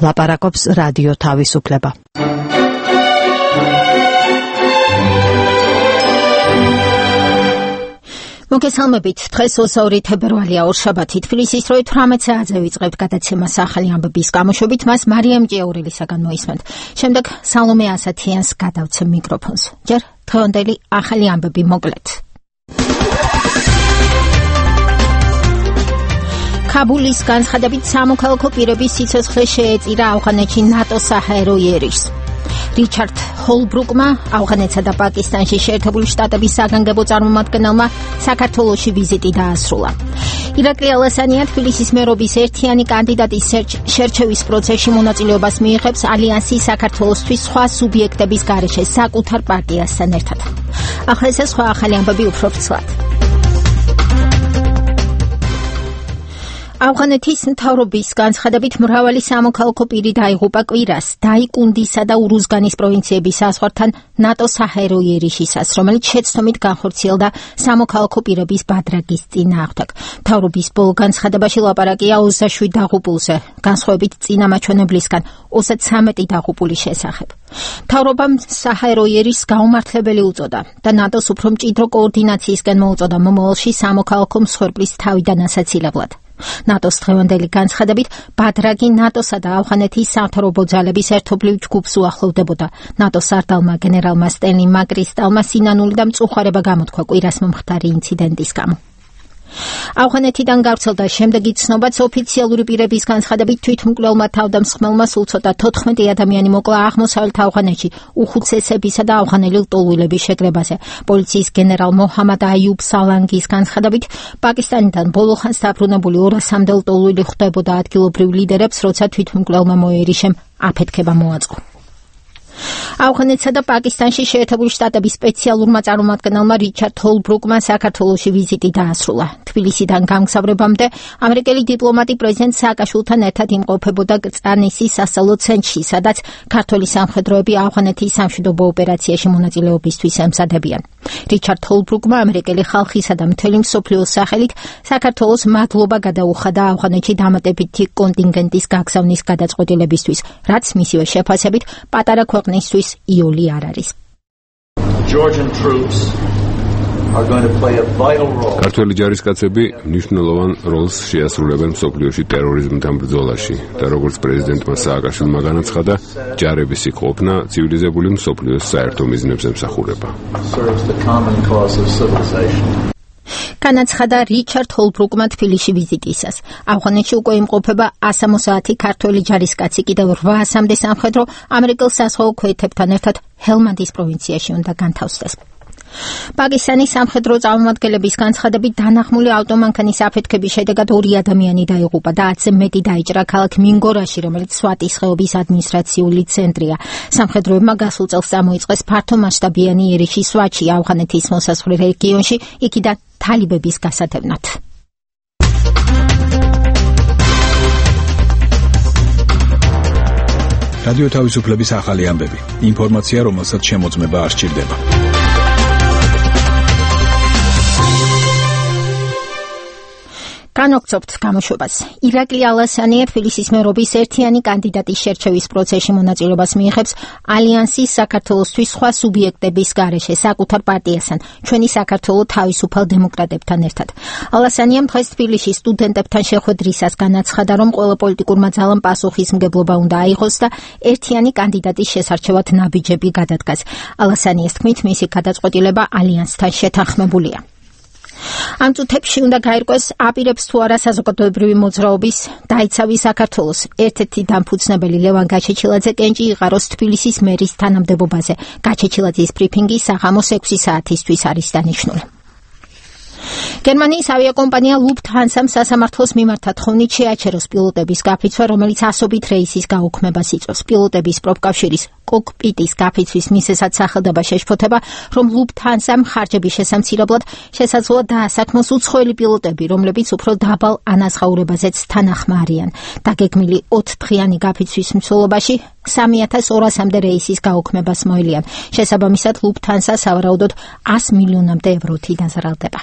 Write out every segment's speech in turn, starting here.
ლაპარაკობს რადიო თავისუფლება. მოგესალმებით, დღეს 22 თებერვალია, ორშაბათი, თბილისის დროით 18 საათზე ვიწყებთ გადაცემას ახალი ამბების გამოშვებით, მას მარიამ ჭიაურელისაგან მოისმენთ. შემდეგ სალომე ასათიანს გადავცემ მიკროფონს. ჯერ დღევანდელი ახალი ამბები მოკლედ. კაბულის განცხადებით სამოქალაქო პირების სიცოცხლე შეეწირა ავღანეთში ნატოს საჰაერო იერიშს. რიჩარდ ჰოლბრუკმა ავღანეთსა და პაკისტანში შეერთებული შტატების საგანგებო წარმომადგენელმა საქართველოში ვიზიტი დაასრულა. ირაკლი ალასანია თბილისის მერობის ერთიანი კანდიდატის შერჩევის პროცესში მონაწილეობას მიიღებს ალიანსის საქართველოსთვის სხვა სუბიექტების გარეშე საკუთარ პარტიასთან ერთად. ახლა ეს სხვა ახალი ამბები უფრო ფრთლად. ავღანეთის მთავრობის განცხადებით მრავალი სამოქალაქო პირი დაიღუპა კვირას დაიკუნდისა და ურუზგანის პროვინციების საზღვართან ნატოს საჰაერო იერიშისას, რომელიც შეცდომით განხორციელდა სამოქალაქო პირების ბადრაგის წინააღმდეგ. მთავრობის ბოლო განცხადებაში ლაპარაკია 27 დაღუპულზე, განსხვავებით წინამაჩვენებლისგან 33 დაღუპულის შესახებ. მთავრობამ საჰაერო იერიშს გაუმართლებელი უწოდა და ნატოს უფრო მჭიდრო კოორდინაციისკენ მოუწოდა მომავალში სამოქალაქო მსხვერპლის თავიდან ასაცილებლად. ნატოს დღევანდელი განცხადებით ბადრაგი ნატოსა და ავღანეთის სამთავრობო ძალების ერთობლივ ჯგუფს უახლოვდებოდა. ნატოს სარდალმა გენერალმა სტენლი მაკრისტალმა სინანული და მწუხარება გამოთქვა კვირას მომხდარი ინციდენტის გამო. ავღანეთიდან გავრცელდა შემდეგი ცნობაც ოფიციალური პირების განცხადებით თვითმკვლელმა თავდამსხმელმა სულ ცოტა 14 ადამიანი მოკლა აღმოსავლეთ ავღანეთში უხუცესებისა და ავღანელი ლტოლვილების შეკრებაზე. პოლიციის გენერალ მოჰამად აიუბ სალანგის განცხადებით პაკისტანიდან ბოლოხანს დაბრუნებული 200-მდე ლტოლვილი ხვდებოდა ადგილობრივ ლიდერებს, როცა თვითმკვლელმა მოერიშემ აფეთქება მოაწყო. ავღანეთსა და პაკისტანში შეერთებული შტატების სპეციალურმა წარმომადგენელმა რიჩარდ ჰოლბრუკმა საქართველოში ვიზიტი დაასრულა. თბილისიდან გამგზავრებამდე ამერიკელი დიპლომატი პრეზიდენტ სააკაშვილთან ერთად იმყოფებოდა კრწანისის სასწავლო ცენტრში, სადაც ქართველი სამხედროები ავღანეთის სამშვიდობო ოპერაციაში მონაწილეობისთვის ემზადებიან. რიჩარდ ჰოლბრუკმა ამერიკელი ხალხისა და მთელი მსოფლიოს სახელით საქართველოს მადლობა გადაუხადა ავღანეთში დამატებითი კონტინგენტის გაგზავნის გადაწყვეტილებისთვის, რაც მისივე შეფასებით პატარა ქვეყნისთვის იოლი არ არის. ქართველი ჯარისკაცები მნიშვნელოვან როლს შეასრულებენ მსოფლიოში ტერორიზმთან ბრძოლაში და როგორც პრეზიდენტმა სააკაშვილმა განაცხადა, ჯარების იქ-ყოფნა ცივილიზებული მსოფლიოს საერთო მიზნებს ემსახურება. განაცხადა რიჩარდ ჰოლბრუკმა თბილისში ვიზიტისას. ავღანეთში უკვე იმყოფება 160 ქართველი ჯარისკაცი, კიდევ 800-მდე სამხედრო ამერიკელ საზღვაო ქვეითებთან ერთად ჰელმანდის პროვინციაში უნდა განთავსდეს. პაკისტანის სამხედრო წარმომადგენლების განცხადებით დანახმული ავტომანქანის აფეთქების შედეგად 2 ადამიანი დაიღუპა და 10-ზე მეტი დაიჭრა ქალაქ მინგორაში, რომელიც სვატის ხეობის ადმინისტრაციული ცენტრია. სამხედროებმა გასულ წელს წამოიწყეს ფართომასშტაბიანი იერიში სვატში, ავღანეთის მოსაზღვრე რეგიონში, იქიდან თალიბების გასათევნად. რადიო თავისუფლების ახალი ამბები. ინფორმაცია, რომელსაც შემოწმება არ სჭირდება. განვაგრძობთ გამოშვებას. ირაკლი ალასანია თბილისის მერობის ერთიანი კანდიდატის შერჩევის პროცესში მონაწილეობას მიიღებს ალიანსის საქართველოსთვის სხვა სუბიექტების გარეშე საკუთარ პარტიასთან, ჩვენი საქართველო თავისუფალ დემოკრატებთან ერთად. ალასანიამ დღეს თბილისში სტუდენტებთან შეხვედრისას განაცხადა, რომ ყველა პოლიტიკურმა ძალამ პასუხისმგებლობა უნდა აიღოს და ერთიანი კანდიდატის შესარჩევად ნაბიჯები გადადგას. ალასანიას თქმით, მისი გადაწყვეტილება ალიანსთან შეთანხმებულია. ამ წუთებში უნდა გაირკვეს აპირებს თუ არა საზოგადოებრივი მოძრაობის დაიცავი საქართველოს. ერთ-ერთი დამფუძნებელი ლევან გაჩეჩილაძე კენჭი იღაროს თბილისის მერის თანამდებობაზე. გაჩეჩილაძის ბრიფინგი საღამოს 6 საათისთვის არის დანიშნული. გერმანიის ავიაკომპანია ლუფთჰანსამ სასამართლოს მიმართა თხოვნით შეაჩეროს პილოტების გაფიცვა, რომელიც ასობით რეისის გაუქმებას იწვევს. პილოტების პროფკავშირის კოკპიტის გაფიცვის მიზეზად სახელდება შეშფოთება, რომ ლუფთჰანსამ ხარჯების შესამცირებლად შესაძლოა დაასაქმოს უცხოელი პილოტები, რომლებიც უფრო დაბალ ანაზღაურებაზეც თანახმა არიან. დაგეგმილი 4 დღიანი გაფიცვის მსვლელობაში 3200-მდე რეისის გაუქმებას მოელიან. შესაბამისად, ლუფთჰანსა სავარაუდოდ 100 მილიონამდე ევროთი დაზარალდება.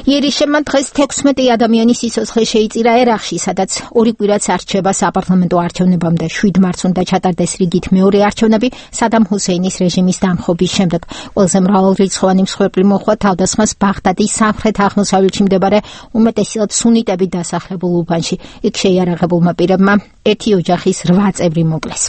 იერიშებმა დღეს 16 ადამიანის სიცოცხლე შეიწირა ერაყში, სადაც 2 კვირაც არ რჩება საპარლამენტო არჩევნებამდე. 7 მარტს უნდა ჩატარდეს რიგით მეორე არჩევნები სადამ ჰუსეინის რეჟიმის დამხობის შემდეგ. ყველაზე მრავალრიცხოვანი მსხვერპლი მოჰყვა თავდასხმას ბაღდადის სამხრეთ-აღმოსავლეთში მდებარე უმეტესად სუნიტებით დასახლებულ უბანში. იქ შეიარაღებულმა პირებმა 1 ოჯახის 8 წევრი მოკლეს.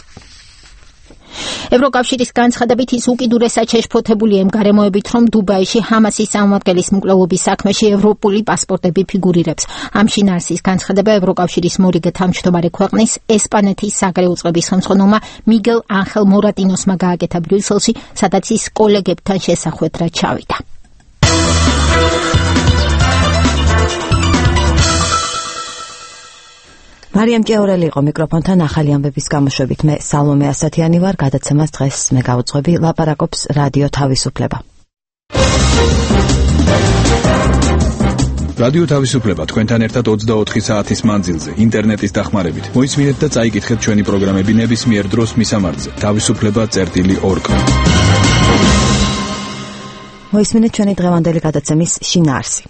ევროკავშირის განცხადებით ის უკიდურესად შეშფოთებულია იმ გარემოებით, რომ დუბაიში ჰამასის წარმომადგენლის მკვლელობის საქმეში ევროპული პასპორტები ფიგურირებს. ამ შინაარსის განცხადება ევროკავშირის მორიგე თავმჯდომარე ქვეყნის ესპანეთის საგარეო წყების ხელმძღვანელმა მიგელ ანხელ მორატინოსმა გააკეთა ბრიუსელში, სადაც ის კოლეგებთან შესახვედრად ჩავიდა. მარიამ ჭეორელი იყო მიკროფონთან ახალი ამბების გამოშვებით. მე სალომე ასათიანი ვარ, გადაცემას დღეს მე გავუძღვები, ლაპარაკობს რადიო თავისუფლება. რადიო თავისუფლება თქვენთან ერთად 24 საათის მანძილზე, ინტერნეტის დახმარებით. მოისმინეთ და წაიკითხეთ ჩვენი პროგრამები ნებისმიერ დროს მისამართზე. თავისუფლება.org. მოისმინეთ ჩვენი დღევანდელი გადაცემის შინაარსი.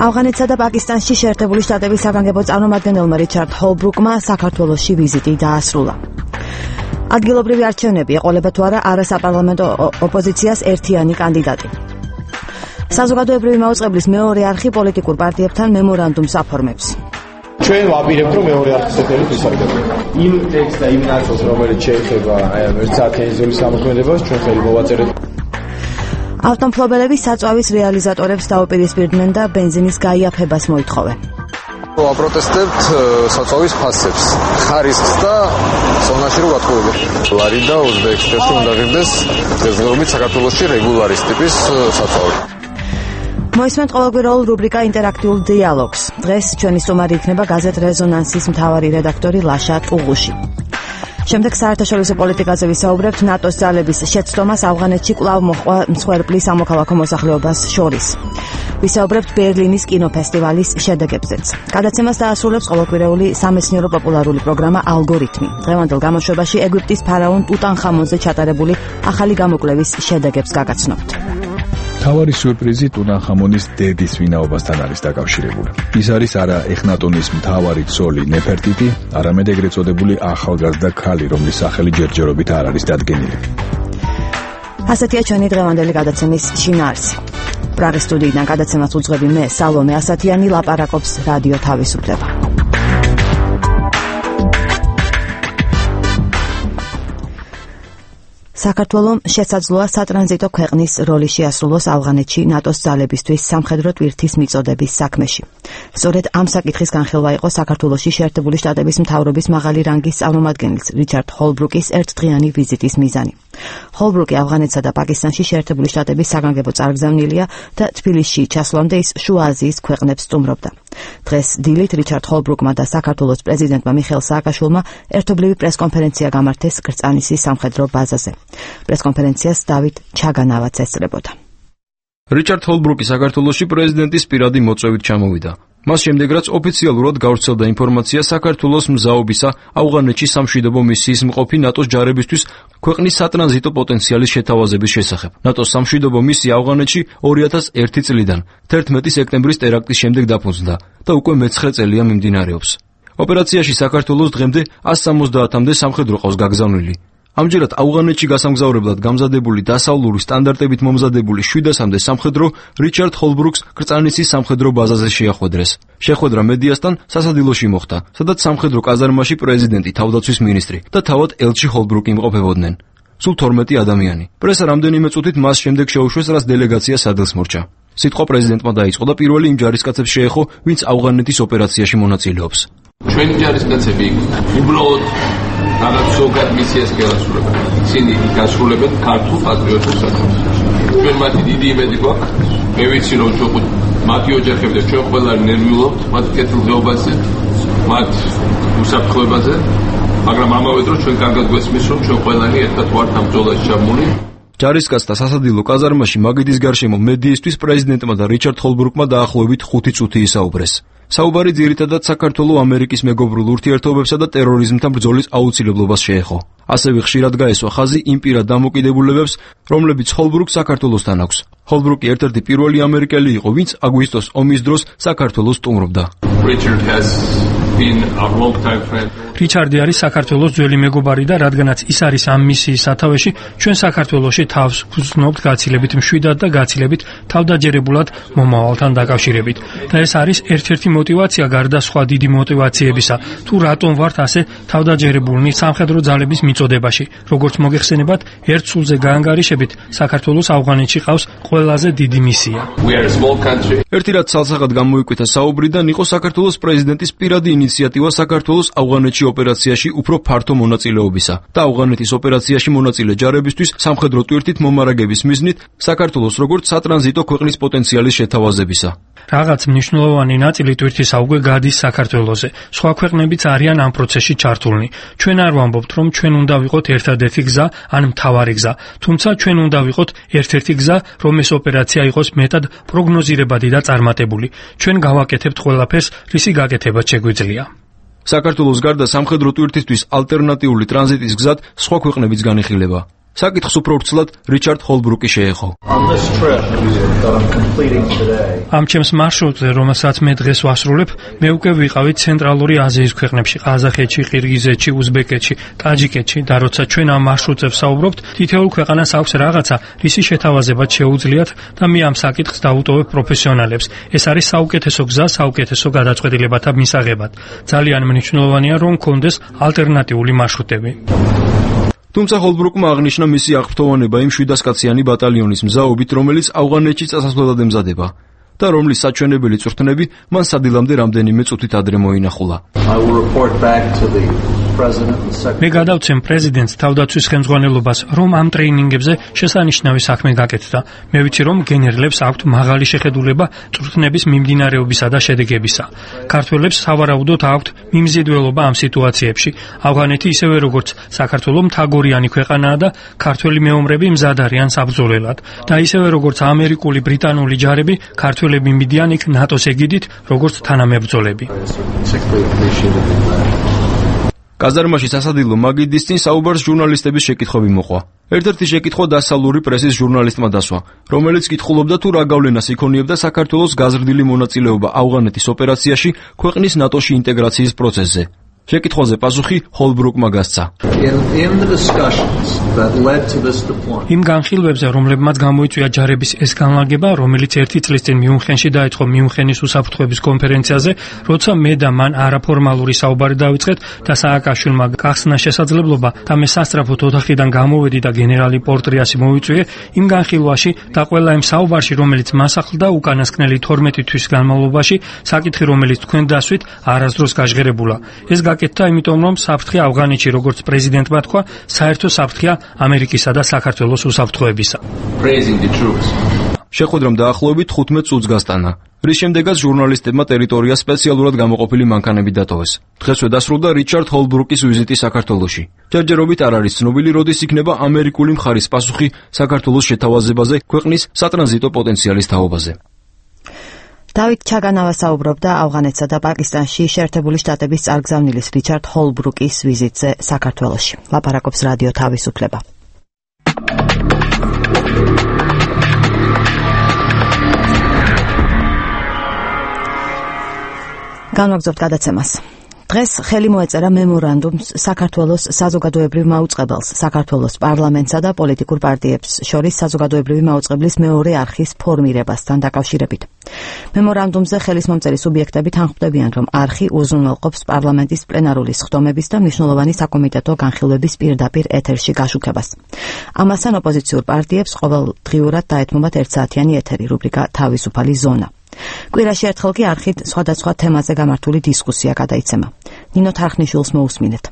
ავღანეთსა და პაკისტანში შეერთებული შტატების საგანგებო წარმომადგენელმა რიჩარდ ჰოლბრუკმა საქართველოში ვიზიტი დაასრულა. ადგილობრივი არჩევნები ეყოლება თუ არა არასაპარლამენტო ოპოზიციას ერთიანი კანდიდატი. საზოგადოებრივი მაუწყებლის მეორე არხი პოლიტიკურ პარტიებთან მემორანდუმს აფორმებს. ჩვენ ვაპირებთ, რომ მეორე არხის εταιρით ვისაუბროთ. იმ ტექსტს და იმ ნაწილს, რომელიც შეეხება ერთ-ერთი ზოლის გამოქმედებას, ჩვენ ხელი მოვაწერეთ. ავტომფლობელები საწვავის რეალიზატორებს დაუპირისპირდნენ და ბენზინის გაიაფებას მოითხოვენ. ვაპროტესტებთ საწვავის ფასებს, ხარისხს და ზონაში რო გათხოვებენ. ლარი და უზბეკეთში უნდა ღირდეს დღესდღეობით საქართველოში რეგულარის ტიპის საწვავი. მოისმენთ ყოველკვირეულ რუბრიკა ინტერაქტიულ დიალოგს. დღეს ჩვენი სტუმარი იქნება გაზეთ რეზონანსის მთავარი რედაქტორი ლაშა ტუღუში. შემდეგ საერთაშორისო პოლიტიკაზე ვისაუბრებთ ნატოს ძალების შეცდომას ავღანეთში კვლავ მოჰყვა მსხვერპლი სამოქალაქო მოსახლეობას შორის. ვისაუბრებთ ბერლინის კინოფესტივალის შედეგებზეც. გადაცემას დაასრულებს ყოველკვირეული სამეცნიერო პოპულარული პროგრამა ალგორითმი. დღევანდელ გამოშვებაში ეგვიპტის ფარაონ ტუტანხამონზე ჩატარებული ახალი გამოკვლევის შედეგებს გაგაცნობთ. თავარი სიურპრიზი ტუტანხამონის დედის ვინაობასთან არის დაკავშირებული. ის არის არა ეხნატონის მთავარი ცოლი ნეფერტიტი, არამედ ეგრეთ წოდებული ახალგაზრდა ქალი, რომლის სახელი ჯერჯერობით არ არის დადგენილი. ასეთია ჩვენი დღევანდელი გადაცემის შინაარსი. პრაღის სტუდიიდან გადაცემას უძღვები მე სალომე ასათიანი, ლაპარაკობს რადიო თავისუფლება. საქართველომ შესაძლოა სატრანზიტო ქვეყნის როლი შეასრულოს ავღანეთში ნატოს ძალებისთვის სამხედრო ტვირთის მიწოდების საქმეში. სწორედ ამ საკითხის განხილვა იყო საქართველოში შეერთებული შტატების მთავრობის მაღალი რანგის წარმომადგენლის რიჩარდ ჰოლბრუკის ერთდღიანი ვიზიტის მიზანი. ჰოლბრუკი ავღანეთსა და პაკისტანში შეერთებული შტატების საგანგებო წარგზავნილია და თბილისში ჩასვლამდე ის შუა აზიის ქვეყნებს სტუმრობდა. დღეს დილით რიჩარდ ჰოლბრუკმა და საქართველოს პრეზიდენტმა მიხეილ სააკაშვილმა ერთობლივი პრესკონფერენცია გამართეს კრწანისის სამხედრო ბაზაზე. პრესკონფერენციას დავით ჩაგანავაც ესწრებოდა. რიჩარდ ჰოლბრუკი საქართველოში პრეზიდენტის პირადი მოწვევით ჩამოვიდა. მას შემდეგ რაც ოფიციალურად გავრცელდა ინფორმაცია საქართველოს მზაობისა ავღანეთში სამშვიდობო მისიის მყოფი ნატოს ჯარებისთვის ქვეყნის სატრანზიტო პოტენციალის შეთავაზების შესახებ. ნატოს სამშვიდობო მისია ავღანეთში 2001 წლიდან 11 სექტემბრის ტერაქტის შემდეგ დაფუძნდა და უკვე მე-9 წელია მიმდინარეობს. ოპერაციაში საქართველოს დღემდე 170-მდე სამხედრო ყავს გაგზავნილი. ამჯერად ავღანეთში გასამგზავრებლად გამზადებული დასავლური სტანდარტებით მომზადებული 700-მდე სამხედრო რიჩარდ ჰოლბრუკს კრწანისის სამხედრო ბაზაზე შეახვედრეს. შეხვედრა მედიასთან სასადილოში მოხდა, სადაც სამხედრო კაზარმაში პრეზიდენტი, თავდაცვის მინისტრი და თავად ელჩი ჰოლბრუკი იმყოფებოდნენ. სულ 12 ადამიანი. პრესა რამდენიმე წუთით მას შემდეგ შეუშვეს, რაც დელეგაცია სადელს მორჩა. სიტყვა პრეზიდენტმა დაიწყო და პირველი იმ ჯარისკაცებს შეეხო, ვინც ავღანეთის ოპერაციაში მონაწილეობს. ჩვენი ჯარისკაცები უბრალოდ რაღაც ზოგად მისიას გეასრულებენ. ისინი გასრულებენ ქართულ პატრიოტულ საქმეს. ჩვენ მათი დიდი იმედი გვაქვს. მე ვიცი რომ ჩვენ მათი ოჯახები და ჩვენ ყველანი ნერვიულობთ მათ კეთილდღეობაზე, მათ უსაფრთხოებაზე, მაგრამ ამავე დროს ჩვენ კარგად გვესმის რომ ჩვენ ყველანი ერთად ვართ ამ ბრძოლაში ჩაბმული. ჯარისკაცთა სასადილო კაზარმაში მაგიდის გარშემო მედიისთვის პრეზიდენტმა და რიჩარდ ჰოლბრუკმა დაახლოებით 5 წუთი ისაუბრეს. საუბარი ძირითადად საქართველოს ამერიკის მეგობრულ ურთიერთობებსა და ტერორიზმთან ბრძოლის აუცილებლობას შეეხო. ასევე ხშირად გაესვა ხაზი იმ პირად დამოკიდებულებებს, რომლებიც ჰოლბრუკს საქართველოსთან აქვს. ჰოლბრუკი ერთ-ერთი პირველი ამერიკელი იყო, ვინც აგვისტოს ომის დროს საქართველოს სტუმრობდა. რიჩარდი არის საქართველოს ძველი მეგობარი და რადგანაც ის არის ამ მისიის სათავეში, ჩვენ საქართველოში თავს ვგრძნობთ გაცილებით მშვიდად და გაცილებით თავდაჯერებულად მომავალთან დაკავშირებით. და ეს არის ერთ-ერთი мотиваცია გარდა სხვა დიდი мотивაციებისა, თუ რატომ ვართ ასე თავდაჯერებულნი სამხედრო ძალების მიწოდებაში. როგორც მოგეხსენებათ, ერთ სულზე გაანგარიშებით საქართველოს ავღანეთში ყავს ყველაზე დიდი მისია. ერთი რაც ცალსახად გამოიკვეთა საუბრიდან იყო საქართველოს პრეზიდენტის პირადი ინიციატივა საქართველოს ავღანეთში ოპერაციაში უფრო ფართო მონაწილეობისა და ავღანეთის ოპერაციაში მონაწილე ჯარებისთვის სამხედრო ტვირთით მომარაგების მიზნით საქართველოს როგორც სატრანზიტო ქვეყნის პოტენციალის შეთავაზებისა. რაღაც მნიშვნელოვანი ნაწილი ტვირთისა უკვე გადის საქართველოზე. სხვა ქვეყნებიც არიან ამ პროცესში ჩართულნი. ჩვენ არ ვამბობთ, რომ ჩვენ უნდა ვიყოთ ერთადერთი გზა ან მთავარი გზა, თუმცა ჩვენ უნდა ვიყოთ ერთ-ერთი გზა, რომ ეს ოპერაცია იყოს მეტად პროგნოზირებადი და წარმატებული. ჩვენ გავაკეთებთ ყველაფერს, რისი გაკეთება შეგვიძლია. საქართველოს გარდა სამხედრო ტვირთისთვის ალტერნატიული ტრანზიტის გზად სხვა ქვეყნებიც განიხილება. საკითხს უფრო ვრცლად რიჩარდ ჰოლბრუკი შეეხო. ამ ჩემს მარშრუტზე, რომელსაც მე დღეს ვასრულებ, მე უკვე ვიყავი ცენტრალური აზიის ქვეყნებში, ყაზახეთში, ყირგიზეთში, უზბეკეთში, ტაჯიკეთში და როცა ჩვენ ამ მარშრუტზე ვსაუბრობთ, თითოეულ ქვეყანას აქვს რაღაცა, რისი შეთავაზებაც შეუძლიათ და მე ამ საკითხს დავუტოვებ პროფესიონალებს. ეს არის საუკეთესო გზა, საუკეთესო გადაწყვეტილებათა მისაღებად. ძალიან მნიშვნელოვანია, რომ გქონდეს ალტერნატიული მარშრუტები. თუმცა ჰოლბრუკმა აღნიშნა მისი აღფრთოვანება იმ 700-კაციანი ბატალიონის მზაობით, რომელიც ავღანეთში წასასვლელად ემზადება და რომლის საჩვენებელი წვრთნები მან სადილამდე რამდენიმე წუთით ადრე მოინახულა. მე გადავცემ პრეზიდენტს თავდაცვის ხელმძღვანელობას, რომ ამ ტრეინინგებზე შესანიშნავი საქმე გაკეთდა. მე ვიცი, რომ გენერლებს აქვთ მაღალი შეხედულება წვრთნების მიმდინარეობისა და შედეგებისა. ქართველებს სავარაუდოდ აქვთ მიმზიდველობა ამ სიტუაციებში. ავღანეთი ისევე როგორც საქართველოს მთაგორიანი ქვეყანაა და ქართველი მეომრები მზად არიან საბრძოლველად და ისევე როგორც ამერიკული, ბრიტანული ჯარები ქართველები მიდიან იქ ნატოს ეგიდით, როგორც თანამებრძოლები. კაზარმაში სასადილო მაგიდის წინ საუბარს ჟურნალისტების შეკითხვები მოყვა. ერთ-ერთი შეკითხვა დასავლური პრესის ჟურნალისტმა დასვა, რომელიც კითხულობდა თუ რა გავლენას იქონიებდა საქართველოს გაზრდილი მონაწილეობა ავღანეთის ოპერაციაში ქვეყნის ნატოში ინტეგრაციის პროცესზე. შეკითხვაზე პასუხი ჰოლბრუკმა გასცა. იმ განხილვებზე, რომლებმაც გამოიწვია ჯარების ეს განლაგება, რომელიც 1 წლის წინ მიუნხენში დაიწყო მიუნხენის უსაფრთხოების კონფერენციაზე, როცა მე და მან არაფორმალური საუბარი დავიწყეთ და სააკაშვილმა გახსნა შესაძლებლობა და მე სასწრაფოდ ოთახიდან გამოვედი და გენერალი პორტრიასი მოვიწვიე, იმ განხილვაში და ყველა იმ საუბარში, რომელიც მასახლდა უკანასკნელი 12 თვის განმავლობაში, საკითხი, რომელიც თქვენ დასვით, არასდროს გაჟღერებულა. ეს გაკეთდა იმიტომ, რომ საფრთხე ავღანეთში, როგორც პრეზიდენტმა თქვა, საერთო საფრთხეა ამერიკისა და საქართველოს უსაფრთხოებისა. შეხვედრამ დაახლოებით 15 წუთს გასტანა, რის შემდეგაც ჟურნალისტებმა ტერიტორია სპეციალურად გამოყოფილი მანქანებით დატოვეს. დღესვე დასრულდა რიჩარდ ჰოლბრუკის ვიზიტი საქართველოში. ჯერჯერობით არ არის ცნობილი, როდის იქნება ამერიკული მხარის პასუხი საქართველოს შეთავაზებაზე ქვეყნის სატრანზიტო პოტენციალის თაობაზე. დავით ჩაგანავა საუბრობდა ავღანეთსა და პაკისტანში შეერთებული შტატების წარგზავნილის რიჩარდ ჰოლბრუკის ვიზიტზე საქართველოში. ლაპარაკობს რადიო თავისუფლება. განვაგრძობთ გადაცემას. დღეს ხელი მოეწერა მემორანდუმს საქართველოს საზოგადოებრივ მაუწყებელს, საქართველოს პარლამენტსა და პოლიტიკურ პარტიებს შორის საზოგადოებრივი მაუწყებლის მეორე არხის ფორმირებასთან დაკავშირებით. მემორანდუმზე ხელისმომწერი სუბიექტები თანხმდებიან, რომ არხი უზრუნველყოფს პარლამენტის პლენარული სხდომების და მნიშვნელოვანი საკომიტეტო განხილვების პირდაპირ ეთერში გაშუქებას. ამასთან ოპოზიციურ პარტიებს ყოველდღიურად დაეთმობათ 1 საათიანი ეთერი რუბრიკა თავისუფალი ზონა. კვირაში ერთხელ კი არხით სხვადასხვა თემაზე გამართული დისკუსია გადაიცემა. ნინო თარხნიშვილს მოусმინეთ.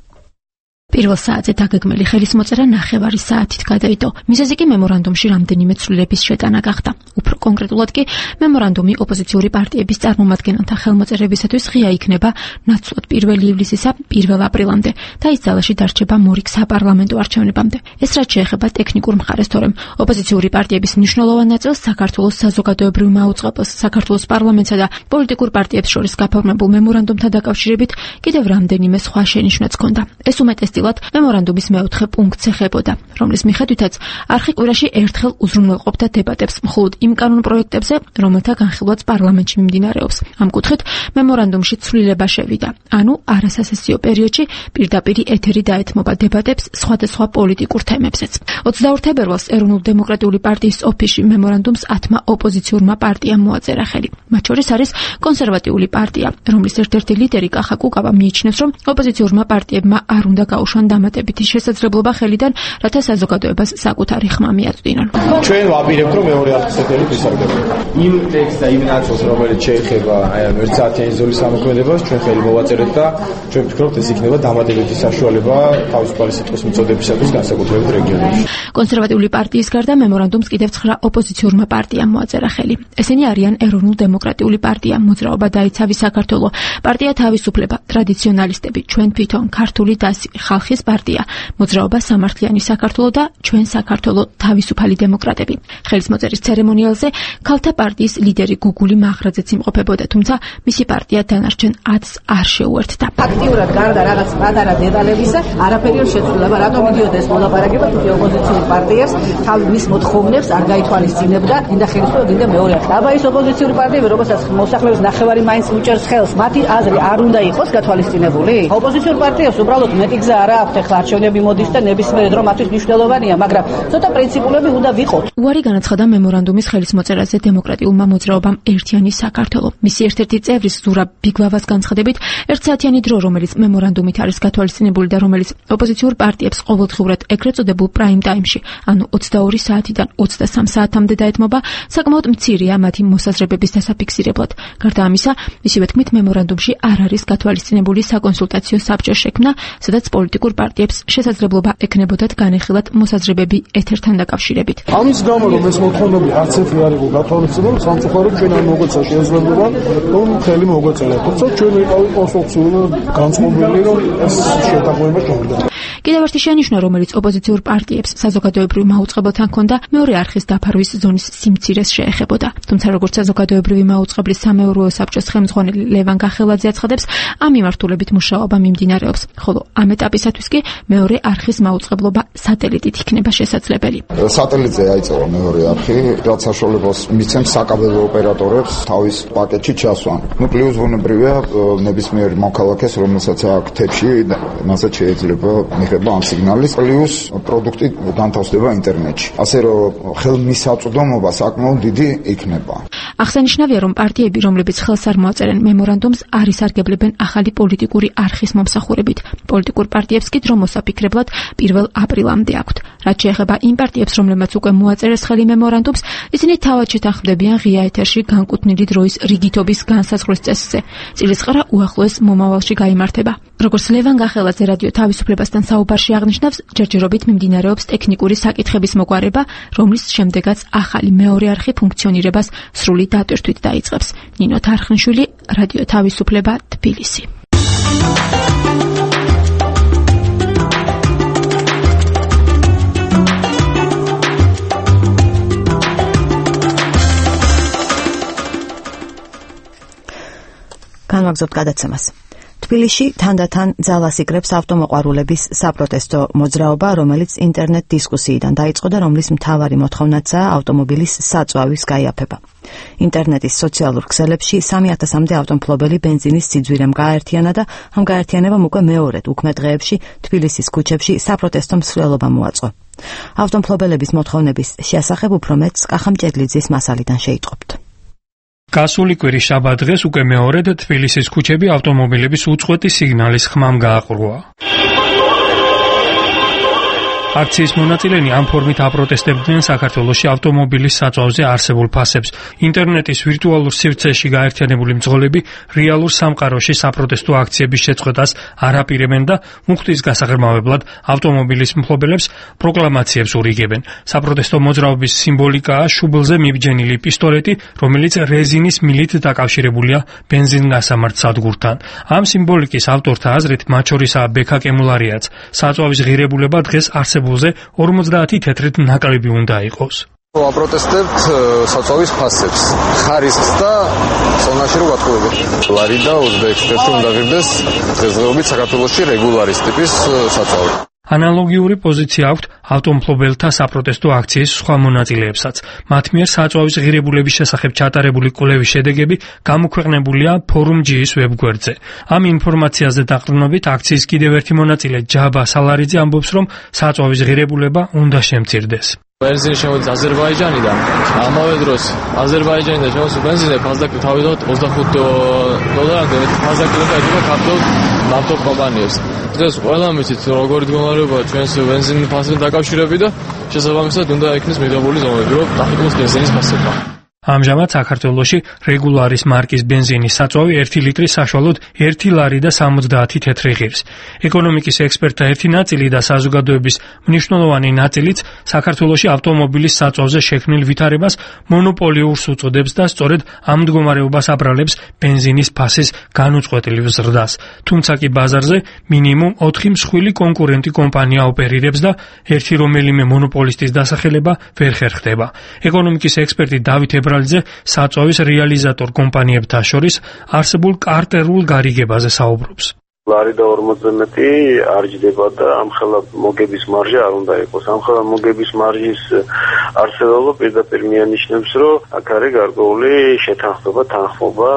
პირველ საათზე დაგეგმილი ხელისმოწერა 9 საათით გადაიდო. მიზეზი კი მემორანდუმში რამდენიმე ცვლილების შეტანა გახდა. უფრო კონკრეტულად კი მემორანდუმი ოპოზიციური პარტიების წარმომადგენელთა ხელმოწერებისათვის ღია იქნება ნაცვლად 1 ივლისისა 1 აპრილამდე და ის ძალაში დარჩება მორიგ საპარლამენტო არჩევნებამდე. ეს რაც შეეხება ტექნიკურ მხარეს, თორემ ოპოზიციური პარტიების მნიშვნელოვან ნაწილს საქართველოს საზოგადოებრივმა აუწყებელს, საქართველოს პარლამენტსა და პოლიტიკურ პარტიებს შორის გაფორმებულ მემორანდუმთან დაკავშირებით კიდევ რამდენიმე სხვა შენიშვნაც ჰქონდა. ეს უმეტესწილად მემორანდუმის მეოთხე პუნქტს ეხებოდა, რომლის მიხედვითაც არხი კვირაში ერთხელ უზრუნველყოფდა დებატებს მხოლოდ იმ კანონ პროექტებზე, რომელთა განხილვაც პარლამენტში მიმდინარეობს. ამ კუთხით მემორანდუმში ცვლილება შევიდა, ანუ არასასესიო პერიოდში პირდაპირ ეთერი დაეთმობა დებატებს სხვადასხვა პოლიტიკურ თემებზეც. 22 თებერვალს ეროვნულ-დემოკრატიული პარტიის ოფისში მემორანდუმს 10 ოპოზიციურმა პარტიამ მოაწერა ხელი. მათ შორის არის კონსერვატიული პარტია, რომლის ერთ-ერთი ლიდერი კახა კუკავა მიიჩნევს, რომ ოპოზიციურმა პარტიებმა არ უნდა გაუშვან დამატებითი შესაძლებლობა ხელიდან, რათა საზოგადოებას საკუთარი ხმა მიაწვდინონ. ჩვენ ვაპირებთ, რომ მეორე არხის ეთერი ვისარგებლოთ. იმ ტექსტს და იმ ნაწილს, რომელიც შეეხება აი ამ 1 საათიანი ზოლის სამოქმედებას, ჩვენ ხელი მოვაწერეთ და ჩვენ ვფიქრობთ, ეს იქნება დამატებითი საშუალება თავისუფალი სიტყვის მიწოდებისათვის განსაკუთრებით რეგიონებში. კონსერვატიული პარტიის გარდა მემორანდუმს კიდევ 9 ოპოზიციურმა პარტიამ მოაწერა ხელი. ესენი არიან ეროვნულ-დემოკრატიული პარტია, მოძრაობა დაიცავი საქართველო, პარტია თავისუფლება, ტრადიციონალისტები, ჩვენ თვითონ, ქართული დასი, ხალხის პარტია, მოძრაობა სამართლიანი საქართველო და ჩვენ საქართველო თავისუფალი დემოკრატები. ხელისმოწერის ცერემონიალზე ქალთა პარტიის ლიდერი გუგული მაღრაძეც იმყოფებოდა, თუმცა მისი პარტია დანარჩენ 10-ს არ შეუერთდა. აქტიურად გარდა რაღაც პატარა დეტალებისა, არაფერი არ შეცვლილა, რატომ მიდიოდა ეს მოლაპარაკება, თუმცა ოპოზიციურ პარტიას თავის მის მოთხოვნებს არ გაითვალისწინებდა, გინდა ხელისუფლება, გინდა მეორე არხი. აბა ის ოპოზიციური პარტიები, რომელსაც მოსახლეობის ნახევარი მაინც უჭერს ხელს, მათი აზრი არ უნდა იყოს გათვალისწინებული. ოპოზიციურ პარტიებს უბრალოდ მეტი გზა არ აქვს, ახლა არჩევნები მოდის და ნებისმიერ დრო მათთვის მნიშვნელოვანია, მაგრამ ცოტა პრინციპულები უნდა ვიყოთ. უარი განაცხადა მემორანდუმის ხელისმოწერაზე დემოკრატიულმა მოძრაობამ ერთიანი საქართველო. მისი ერთ-ერთი წევრის ზურაბ ბიგლავას განცხადებით, 1 საათიანი დრო, რომელიც მემორანდუმით არის გათვალისწინებული და რომელიც ოპოზიციურ პარტიებს ყოველდღიურად ეგრეთ წოდებულ პრაიმ ტაიმში, ანუ 22 საათიდან 23 საათამდე დაეთმობა, საკმაოდ მცირეა მათი მოსაზრებების დასაფიქსირებლად. გარდა ამისა, მისივე თქმით, მემორანდუმში არ არის გათვალისწინებული საკონსულტაციო საბჭოს შექმნა, სადაც პოლიტიკურ პარტიებს შესაძლებლობა ექნებოდათ განეხილათ მოსაზრებები ეთერთან დაკავშირებით. ამის გამო, რომ ეს მოთხოვნები არც ერთი არ იყო გათვალისწინებული, სამწუხაროდ ჩვენ არ მოგვეცა შესაძლებლობა, რომ ხელი მოგვეწერათ. თუმცა ჩვენ ვიყავით კონსტრუქციულად განწყობილი, რომ ეს შეთანხმება შევიდა. კიდევ ერთი შენიშვნა, რომელიც ოპოზიციურ პარტიებს საზოგადოებრივ მაუწყებელთან ჰქონდა, მეორე არხის დაფარვის ზონის სიმცირეს შეეხებოდა. თუმცა როგორც საზოგადოებრივი მაუწყებლის სამეურვეო საბჭოს ხელმძღვანელი ლევან გახელაძე აცხადებს, ამ მიმართულებით მუშაობა მიმდინარეობს, ხოლო ამ ეტაპისათვის კი მეორე არხის მაუწყებლობა სატელიტით იქნება შესაძლებელი. სატელიტზე აიწევა მეორე არხი, რაც საშუალებას მიცემს საკაბელო ოპერატორებს თავის პაკეტში ჩასვან. პლუს ბუნებრივია ნებისმიერ მოქალაქეს, რომელსაც აქვს თებში, მასაც შეიძლება მიღება ამ სიგნალის, პლუს პროდუქტი განთავსდება ინტერნეტში. ასე რომ ხელმისაწვდომობა საკმაოდ დიდი იქნება. აღსანიშნავია, რომ პარტიები, რომლებიც ხელს არ მოაწერენ მემორანდუმს, არ ისარგებლებენ ახალი პოლიტიკური არხის მომსახურებით. პოლიტიკურ პარტიებს კი დრო მოსაფიქრებლად 1 აპრილამდე აქვთ. რაც შეეხება იმ პარტიებს, რომლებმაც უკვე მოაწერეს ხელი მემორანდუმს, ისინი თავად შეთანხმდებიან ღია ეთერში განკუთვნილი დროის რიგითობის განსაზღვრის წესზე. წილისყრა უახლოეს მომავალში გაიმართება. როგორც ლევან გახელაძე რადიო თავისუფლებასთან საუბარში აღნიშნავს, ჯერჯერობით მიმდინარეობს ტექნიკური საკითხების მოგვარება, რომლის შემდეგაც ახალი მეორე არხი ფუნქციონირებას სრული დატვირთვით დაიწყებს. ნინო თარხნიშვილი, რადიო თავისუფლება, თბილისი. განვაგრძობთ გადაცემას. თბილისში თანდათან ძალას იკრებს ავტომოყვარულების საპროტესტო მოძრაობა, რომელიც ინტერნეტ დისკუსიიდან დაიწყო და რომლის მთავარი მოთხოვნაცაა ავტომობილის საწვავის გაიაფება. ინტერნეტის სოციალურ ქსელებში 3000-მდე ავტომფლობელი ბენზინის სიძვირემ გააერთიანა და ამ გაერთიანებამ უკვე მეორედ უქმე დღეებში თბილისის ქუჩებში საპროტესტო მსვლელობა მოაწყო. ავტომფლობელების მოთხოვნების შესახებ უფრო მეტს კახა მჭედლიძის მასალიდან შეიტყობთ. გასული კვირის შაბათ დღეს უკვე მეორედ თბილისის ქუჩები ავტომობილების უწყვეტი სიგნალის ხმამ გააყრუა. აქციის მონაწილენი ამ ფორმით აპროტესტებდნენ საქართველოში ავტომობილის საწვავზე არსებულ ფასებს. ინტერნეტის ვირტუალურ სივრცეში გაერთიანებული მძღოლები რეალურ სამყაროში საპროტესტო აქციების შეწყვეტას არ აპირებენ და მუხტის გასაღრმავებლად ავტომობილის მფლობელებს პროკლამაციებს ურიგებენ. საპროტესტო მოძრაობის სიმბოლიკაა შუბლზე მიბჯენილი პისტოლეტი, რომელიც რეზინის მილით დაკავშირებულია ბენზინგასამართ სადგურთან. ამ სიმბოლიკის ავტორთა აზრით მათ შორისაა ბექა კემულარიაც. საწვავის ღირებულება დღეს არსებულზე 50 თეთრით ნაკლები უნდა იყოს. აპროტესტებთ საწვავის ფასებს, ხარისხს და ზონაში რო გატყუებით. ლარი და უზბეკეთში უნდა ღირდეს დღესდღეობით საქართველოში რეგულარის ტიპის საწვავი. ანალოგიური პოზიცია აქვთ ავტომფლობელთა საპროტესტო აქციის სხვა მონაწილეებსაც. მათ მიერ საწვავის ღირებულების შესახებ ჩატარებული კვლევის შედეგები გამოქვეყნებულია Forum G-ის ვებგვერდზე. ამ ინფორმაციაზე დაყრდნობით აქციის კიდევ ერთი მონაწილე ჯაბა სალარიძე ამბობს, რომ საწვავის ღირებულება უნდა შემცირდეს. Benzin შემოდის აზერბაიჯანიდან. ამავე დროს აზერბაიჯანიდან შემოსულ ბენზინზე ფასდაკლი თავიდანვე $20 ფასდაკლება ედება ქართულ ნავთობ კომპანიებს. დღეს ყველამ იცით როგორი მდგომარეობაა ჩვენს ბენზინის ფასთან დაკავშირებით და შესაბამისად უნდა იქნეს მიღებული ზომები, რომ დაიხუროს ბენზინის ფასება. ამჟამად საქართველოში რეგულარის მარკის ბენზინის საწვავი 1 ლიტრი საშუალოდ 1 ლარი და 70 თეთრი ღირს. ეკონომიკის ექსპერტთა ერთი ნაწილი და საზოგადოების მნიშვნელოვანი ნაწილიც საქართველოში ავტომობილის საწვავზე შექმნილ ვითარებას მონოპოლიურს უწოდებს და სწორედ ამ მდგომარეობას აბრალებს ბენზინის ფასის განუწყვეტლივ ზრდას. თუმცა კი ბაზარზე მინიმუმ 4 მსხვილი კონკურენტი კომპანია ოპერირებს და ერთი რომელიმე მონოპოლისტის დასახელება ვერ ხერხდება. ეკონომიკის ექსპერტი დავით საწვავის რეალიზატორ კომპანიებთან შორის არსებულ კარტერულ გარიგებაზე საუბრობს. ლარი და 40 არ ჯდება და ამხელა მოგების მარჟა არ უნდა იყოს. ამხელა მოგების მარჟის არსებობა პირდაპირ მიანიშნებს, რომ აქ არის გარკვეული შეთანხმება, თანხმობა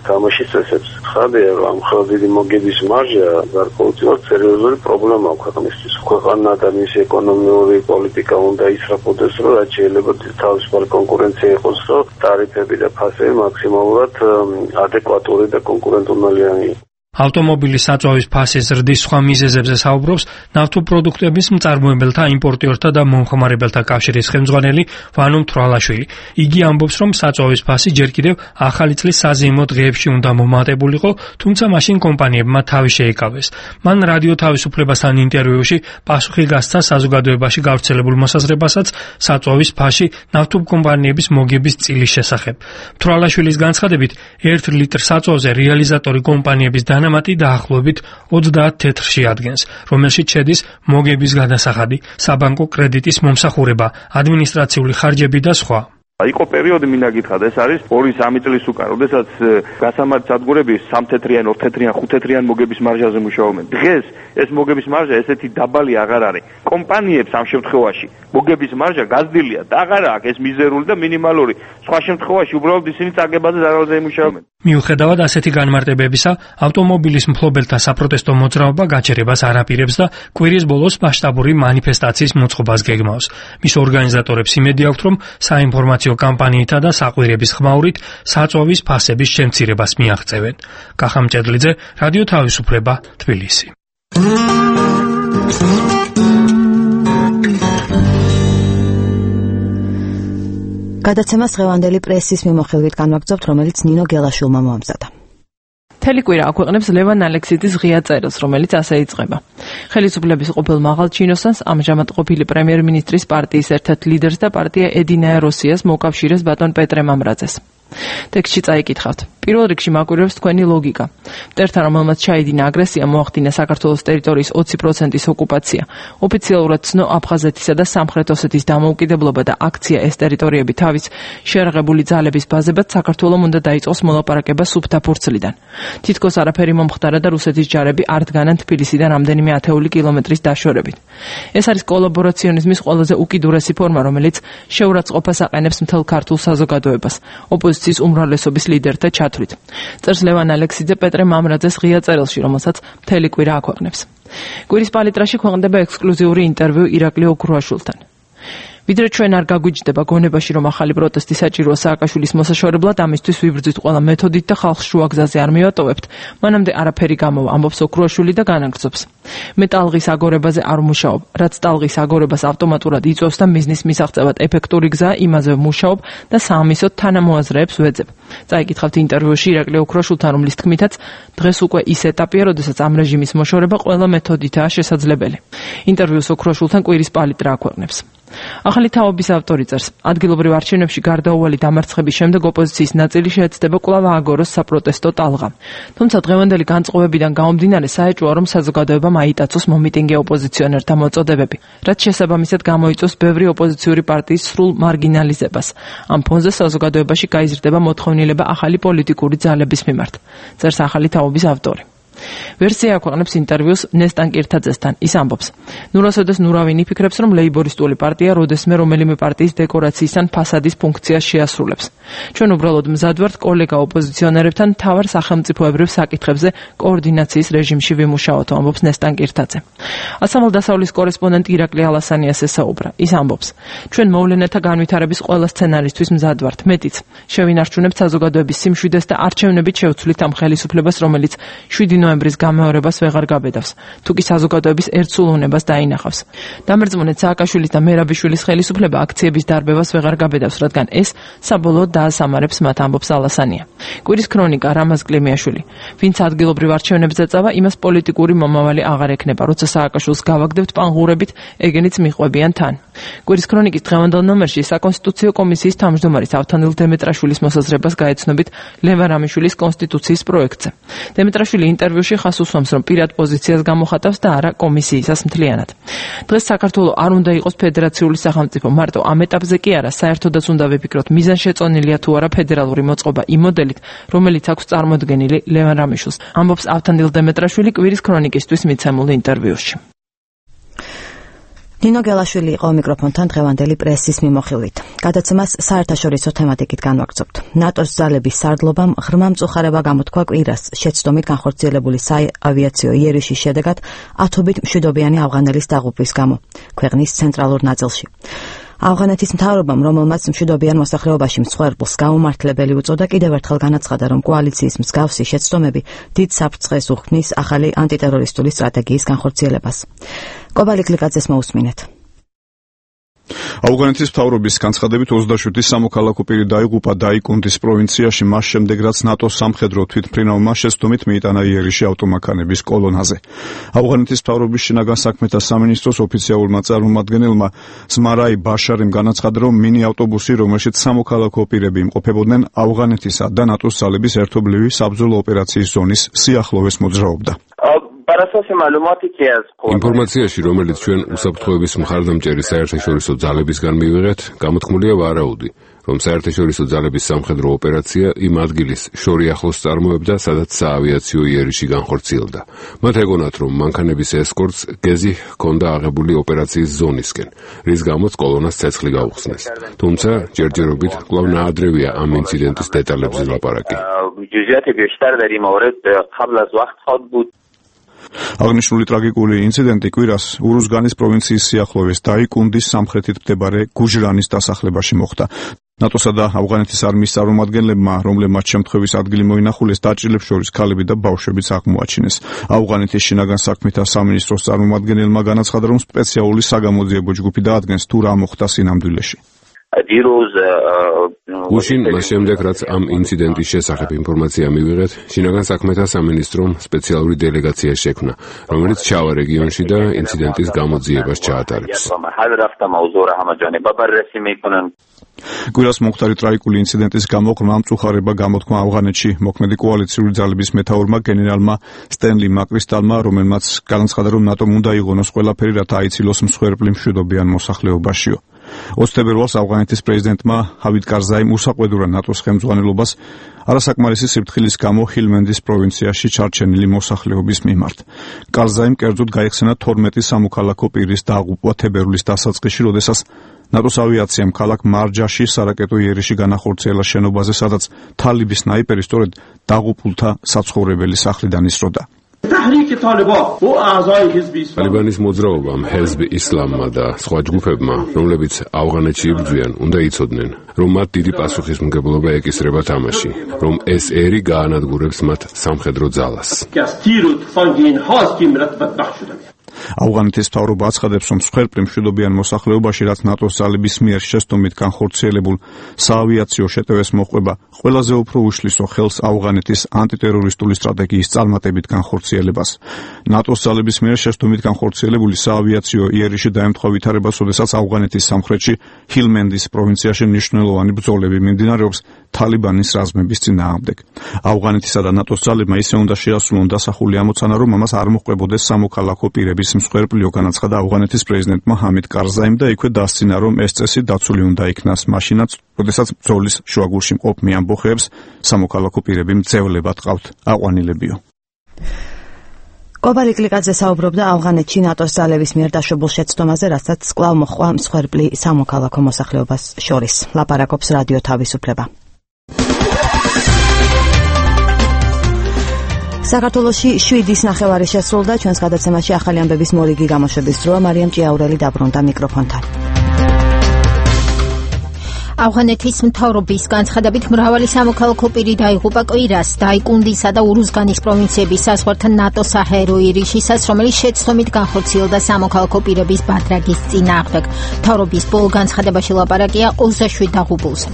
თამაშის წესებს. ხადია, რომ ამხელა დიდი მოგების მარჟა გარკვეულწილად სერიოზული პრობლემა აქვს ქვეყნისთვის. ქვეყანა და მისი ეკონომიკური პოლიტიკა უნდა ისრაფოდეს, რომ რაც შეიძლება თავისუფალი კონკურენცია იყოს, რომ ტარიფები და ფასები მაქსიმალურად ადეკვატური და კონკურენტუნალიანი იყოს. ავტომობილის საწვავის ფასის ზრდის სხვა მიზეზებზე საუბრობს ნავთობპროდუქტების მწარმოებელთა, იმპორტიორთა და მომხმარებელთა კავშირის ხელმძღვანელი ვანო მთვრალაშვილი. იგი ამბობს, რომ საწვავის ფასი ჯერ კიდევ ახალი წლის საზეიმო დღეებში უნდა მომატებულიყო, თუმცა მაშინ კომპანიებმა თავი შეიკავეს. მან რადიო თავისუფლებასთან ინტერვიუში პასუხი გასცა საზოგადოებაში გავრცელებულ მოსაზრებასაც საწვავის ფასი ნავთობკომპანიების მოგების წილის შესახებ. მთვრალაშვილის განცხადებით, 1 ლიტრ საწვავზე რეალიზატორი კომპანიების დანამატი დაახლოებით 30 თეთრში ადგენს, რომელშიც შედის მოგების გადასახადი, საბანკო კრედიტის მომსახურება, ადმინისტრაციული ხარჯები და სხვა. იყო პერიოდი მინდა გითხრათ, ეს არის 2-3 წლის უკან, როდესაც გასამართ სადგურები 3 თეთრიან, 2 თეთრიან, 5 თეთრიან მოგების მარჟაზე მუშაობენ. დღეს ეს მოგების მარჟა ესეთი დაბალი აღარ არის. კომპანიებს ამ შემთხვევაში მოგების მარჟა გაზრდილია და აღარ აქვს ეს მიზერული და მინიმალური. სხვა შემთხვევაში უბრალოდ ისინი წაგებაზე ზარალზე იმუშავებენ. მიუხედავად ასეთი განმარტებებისა, ავტომობილის მფლობელთა საპროტესტო მოძრაობა გაჩერებას არ აპირებს და კვირის ბოლოს მასშტაბური მანიფესტაციის მოწყობას გეგმავს. მის ორგანიზატორებს იმედი აქვთ, რომ საინფორმაციო კამპანიითა და საყვირების ხმაურით საწვავის ფასების შემცირებას მიაღწევენ. კახა მჭედლიძე, რადიო თავისუფლება, თბილისი. გადაცემას დღევანდელი პრესის მიმოხილვით განვაგრძობთ, რომელიც ნინო გელაშვილმა მოამზადა. მთელი კვირა აქვეყნებს ლევან ალექსიძის ღია წერილს, რომელიც ასე იწყება. ხელისუფლების ყოფილ მაღალ ჩინოსანს, ამჟამად ყოფილი პრემიერ-მინისტრის პარტიის ერთ-ერთ ლიდერს და პარტია ედინაე როსიას მოკავშირეს ბატონ პეტრე მამრაძეს. ტექსტში წაიკითხავთ. პირველ რიგში მაკვირვებს თქვენი ლოგიკა. მტერთან, რომელმაც ჩაიდინა აგრესია, მოახდინა საქართველოს ტერიტორიის 20%-ის ოკუპაცია. ოფიციალურად ცნო აფხაზეთისა და სამხრეთ ოსეთის დამოუკიდებლობა და აქცია ეს ტერიტორიები თავის შეერაღებული ძალების ბაზებად საქართველოს უნდა დაიწყოს მოლაპარაკება სუფთა ფურცლიდან. თითქოს არაფერი მომხდარა და რუსეთის ჯარები არ დგანან თბილისიდან რამდენიმე ათეული კილომეტრის დაშორებით. ეს არის კოლაბორაციონიზმის ყველაზე უკიდურესი ფორმა, რომელიც შეურაცხყოფას აყენებს მთელ ქართულ საზოგადოებას. ოპოზიციის უმრავლესობის ლიდერთა ჩათვლით. წერს ლევან ალექსიძე პეტრე მამრაძეს ღია წერილში, რომელსაც მთელი კვირა აქვეყნებს. კვირის პალიტრაში ქვეყნდება ექსკლუზიური ინტერვიუ ირაკლი ოქრუაშვილთან. ვიდრე ჩვენ არ გაგვიჯდება გონებაში, რომ ახალი პროტესტი საჭიროა სააკაშვილის მოსაშორებლად, ამისთვის ვიბრძვით ყველა მეთოდით და ხალხს შუა გზაზე არ მივატოვებთ, მანამდე არაფერი გამოვა, ამბობს ოქრუაშვილი და განაგრძობს. მე ტალღის აგორებაზე არ მუშაობ, რაც ტალღის აგორებას ავტომატურად იწვევს და მიზნის მისაღწევად ეფექტური გზაა, იმაზე მუშაობ და საამისოდ თანამოაზრეებს ვეძებ. წაიკითხავთ ინტერვიუში ირაკლი ოქრუაშვილთან, რომლის თქმითაც დღეს უკვე ის ეტაპია, როდესაც ამ რეჟიმის მოშორება ყველა მეთოდითაა შესაძლებელი. ინტერვიუს ოქრუაშვილთან კვირის პალიტრა აქვეყნებს. ახალი თაობის ავტორი წერს, ადგილობრივ არჩევნებში გარდაუვალი დამარცხების შემდეგ ოპოზიციის ნაწილი შეეცდება კვლავ ააგოროს საპროტესტო ტალღა. თუმცა დღევანდელი განწყობებიდან გამომდინარე საეჭვოა, რომ საზოგადოებამ აიტაცოს მომიტინგე ოპოზიციონერთა მოწოდებები, რაც შესაბამისად გამოიწვევს ბევრი ოპოზიციური პარტიის სრულ მარგინალიზებას. ამ ფონზე საზოგადოებაში გაიზრდება მოთხოვნილება ახალი პოლიტიკური ძალების მიმართ, წერს ახალი თაობის ავტორი. ვერსია აქვეყნებს ინტერვიუს ნესტან კირთაძესთან. ის ამბობს, ნურასოდეს ნურავინ იფიქრებს, რომ ლეიბორისტული პარტია როდესმე რომელიმე პარტიის დეკორაციის ან ფასადის ფუნქციას შეასრულებს. ჩვენ უბრალოდ მზად ვართ კოლეგა ოპოზიციონერებთან მთავარ სახელმწიფოებრივ საკითხებზე კოორდინაციის რეჟიმში ვიმუშაოთ, ამბობს ნესტან კირთაძე. ასამალდასავლის კორესპონდენტი ირაკლი ალასანიას ესაუბრა. ის ამბობს, ჩვენ მოვლენათა განვითარების ყველა სცენარისთვის მზად ვართ, მეტიც. შევინარჩუნებთ საზოგადოების სიმშვიდეს და არჩევნებით შევცვლით ამ ხელისუფლებას, რომელიც 7 ნოემბრის გამეორებას ვეღარ გაბედავს, თუ კი საზოგადოების ერთსულოვნებას დაინახავს. დამერწმუნეთ სააკაშვილის და მერაბიშვილის ხელისუფლება აქციების დარბევას ვეღარ გაბედავს, რადგან ეს საბოლოოდ დაასამარებს მათ, ამბობს ალასანია. კვირის ქრონიკა, რამაზ კლიმიაშვილი. ვინც ადგილობრივ არჩევნებზე წავა, იმას პოლიტიკური მომავალი აღარ ექნება, როცა სააკაშვილს გავაგდებთ პანღურებით, ეგენიც მიყვებიან თან. კვირის ქრონიკის დღევანდელ ნომერში საკონსტიტუციო კომისიის თავმჯდომარის ავთანდილ დემეტრაშვილის მოსაზრებას გაეცნობით ლევან რამიშვილის კონსტიტუციის პროექტზე. დემეტრაშვილი ინტერვიუში ხას უსვამს, რომ პირად პოზიციას გამოხატავს და არა კომისიისას მთლიანად. დღეს საქართველო არ უნდა იყოს ფედერაციული სახელმწიფო, მარტო ამ ეტაპზე კი არა, საერთოდაც უნდა ვიფიქროთ, მიზანშეწონილია თუ არა ფედერალური მოწყობა იმ მოდელით, რომელიც აქვს წარმოდგენილი ლევან რამიშვილს, ამბობს ავთანდილ დემეტრაშვილი კვირის ქრონიკისთვის მიცემულ ინტერვიუში. ნინო გელაშვილი იყო მიკროფონთან დღევანდელი პრესის მიმოხილვით. გადაცემას საერთაშორისო თემატიკით განვაგრძობთ. ნატოს ძალების სარდლობამ ღრმა მწუხარება გამოთქვა კვირას შეცდომით განხორციელებული საავიაციო იერიშის შედეგად ათობით მშვიდობიანი ავღანელის დაღუპვის გამო ქვეყნის ცენტრალურ ნაწილში. ავღანეთის მთავრობამ, რომელმაც მშვიდობიან მოსახლეობაში მსხვერპლს გაუმართლებელი უწოდა, კიდევ ერთხელ განაცხადა, რომ კოალიციის მსგავსი შეცდომები დიდ საფრთხეს უქმნის ახალი ანტიტერორისტული სტრატეგიის განხორციელებას. კობალი კლიკაძეს მოусმინეთ. ავღანეთის მთავრობის განცხადებით 27 სამოქალაქო პირი დაიღუპა დაიკუნდის პროვინციაში მას შემდეგ, რაც ნატოს სამხედრო თვითმფრინავმა შეცდომით მიიტანა იერიში ავტომანქანების კოლონაზე. ავღანეთის მთავრობის შინაგან საქმეთა სამინისტროს ოფიციალურმა წარმომადგენელმა ზმარაი ბაშარიმ განაცხადა, რომ მინი ავტობუსი, რომელშიც სამოქალაქო პირები იმყოფებოდნენ, ავღანეთისა და ნატოს ძალების ერთობლივი საბრძოლო ოპერაციის ზონის სიახლოვეს მოძრაობდა. ინფორმაციაში, რომელიც ჩვენ უსაფრთხოების მხარდამჭერი საერთაშორისო ძალებისგან მივიღეთ, გამოთქმულია ვარაუდი, რომ საერთაშორისო ძალების სამხედრო ოპერაცია იმ ადგილის შორი ახლოს წარმოებდა, სადაც საავიაციო იერიში განხორციელდა. მათ ეგონათ, რომ მანქანების ესკორტს გეზი ჰქონდა აღებული ოპერაციის ზონისკენ, რის გამოც კოლონას ცეცხლი გაუხსნეს. თუმცა ჯერჯერობით კვლავ ნაადრევია ამ ინციდენტის დეტალებზე ლაპარაკი. აღნიშნული ტრაგიკული ინციდენტი კვირას ურუზგანის პროვინციის სიახლოვეს დაიკუნდის სამხრეთით მდებარე გუჟრანის დასახლებაში მოხდა. ნატოსა და ავღანეთის არმიის წარმომადგენლებმა, რომლებმაც შემთხვევის ადგილი მოინახულეს, დაჭრილებს შორის ქალები და ბავშვებიც აღმოაჩინეს. ავღანეთის შინაგან საქმეთა სამინისტროს წარმომადგენელმა განაცხადა, რომ სპეციალური საგამოძიებო ჯგუფი დაადგენს, თუ რა მოხდა სინამდვილეში. უშინ მას შემდეგ, რაც ამ ინციდენტის შესახებ ინფორმაცია მივიღეთ, შინაგან საქმეთა სამინისტრომ სპეციალური დელეგაცია შექმნა, რომელიც ჩავა რეგიონში და ინციდენტის გამოძიებას ჩაატარებს. კვირას მომხდარი ტრაგიკული ინციდენტის გამო ღრმა მწუხარება გამოთქვა ავღანეთში მოქმედი კოალიციური ძალების მეთაურმა გენერალმა სტენლი მაკრისტალმა, რომელმაც განაცხადა, რომ ნატომ უნდა იღონოს ყველაფერი, რათა აიცილოს მსხვერპლი მშვიდობიან მოსახლეობაშიო. 20 თებერვალს ავღანეთის პრეზიდენტმა ჰავიდ კარზაიმ უსაყვედურა ნატოს ხელმძღვანელობას არასაკმარისი სიფრთხილის გამო ჰილმენდის პროვინციაში ჩარჩენილი მოსახლეობის მიმართ. კარზაიმ კერძოდ გაიხსენა 12 სამოქალაქო პირის დაღუპვა თებერვლის დასაწყისში, როდესაც ნატოს ავიაციამ ქალაქ მარჯაში სარაკეტო იერიში განახორციელა შენობაზე, სადაც თალიბის სნაიპერი სწორედ დაღუპულთა საცხოვრებელი სახლიდან ისროდა. ტალიბანის მოძრაობამ, ჰეზბ ისლამმა და სხვა ჯგუფებმა, რომლებიც ავღანეთში იბრძვიან, უნდა იცოდნენ, რომ მათ დიდი პასუხისმგებლობა ეკისრება თამაში, რომ ეს ერი გაანადგურებს მათ სამხედრო ძალას. ავღანეთის მთავრობა აცხადებს, რომ მსხვერპლი მშვიდობიან მოსახლეობაში, რაც ნატოს ძალების მიერ შესტომით განხორციელებულ საავიაციო შეტევას მოჰყვება, ყველაზე უფრო უშლისო ხელს ავღანეთის ანტიტერორისტული სტრატეგიის წარმატებით განხორციელებას. ნატოს ძალების მიერ შესტომით განხორციელებული საავიაციო იერიში დაემთხვა ვითარებას, როდესაც ავღანეთის სამხრეთში ჰილმენდის პროვინციაში მნიშვნელოვანი ბრძოლები მიმდინარეობს თალიბანის რაზმების წინააღმდეგ. ავღანეთისა და ნატოს ძალებმა ისე უნდა შეასრულონ დასახული ამოცანა, რომ ამას არ მოჰყვებოდეს სამოქალაქო პირების მსხვერპლიო, განაცხადა ავღანეთის პრეზიდენტმა ჰამიდ კარზაიმ და იქვე დასცინა, რომ ეს წესი დაცული უნდა იქნას მაშინაც, როდესაც ბრძოლის შუაგულში მყოფ ამბოხებს სამოქალაქო პირები მძევლებად ყავთ აყვანილებიო. კობარი კლიკაძე საუბრობდა ავღანეთში ნატოს ძალების მიერ დაშვებულ შეცდომაზე, რასაც კვლავ მოჰყვა მსხვერპლი სამოქალაქო მოსახლეობას შორის. ლაპარაკობს რადიო თავისუფლება. საქართველოში 7-ის ნახევარი შესრულდა, ჩვენს გადაცემაში ახალი ამბების მორიგი გამოშვების დროა. მარიამ ჭიაურელი დაბრუნდა მიკროფონთან. ავღანეთის მთავრობის განცხადებით მრავალი სამოქალაქო პირი დაიღუპა კვირას დაიკუნდისა და ურუზგანის პროვინციების საზღვართან ნატოს საჰაერო იერიშისას, რომელიც შეცდომით განხორციელდა სამოქალაქო პირების ბადრაგის წინააღმდეგ. მთავრობის ბოლო განცხადებაში ლაპარაკია 27 დაღუპულზე.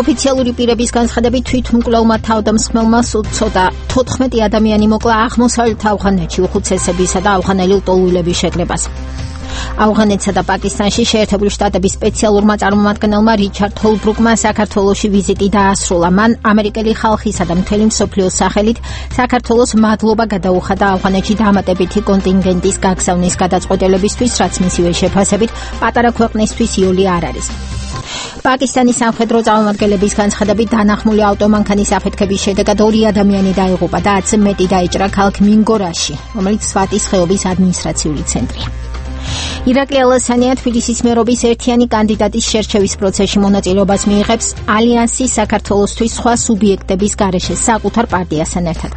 ოფიციალური პირების განცხადებით თვითმკვლელმა თავდამსხმელმა ცოტა 14 ადამიანი მოკლა აღმოსავლეთ ავღანეთში უხუცესებისა და ავღანელი ლტოლვილების შეკრებას. ავღანეთსა და პაკისტანში შეერთებული შტატების სპეციალურმა წარმომადგენელმა რიჩარდ ჰოლბრუკმა საქართველოში ვიზიტი დაასრულა. მან ამერიკელი ხალხისა და მთელი მსოფლიოს სახელით საქართველოს მადლობა გადაუხადა ავღანეთში დამატებითი კონტინგენტის გაგზავნის გადაწყვეტილებისთვის, რაც მისივე შეფასებით პატარა ქვეყნისთვის იოლი არ არის. პაკისტანის სამხედრო წარმომადგენლების განცხადებით დანახმული ავტომანქანის აფეთქების შედეგად 2 ადამიანი დაიღუპა და 10-ზე მეტი დაიჭრა ქალაქ მინგორაში, რომელიც სვატის ხეობის ადმინისტრაციული ცენტრია. ირაკლი ალასანია თბილისის მერობის ერთიანი კანდიდატის შერჩევის პროცესში მონაწილეობას მიიღებს ალიანსის საქართველოსთვის სხვა სუბიექტების გარეშე საკუთარ პარტიასთან ერთად.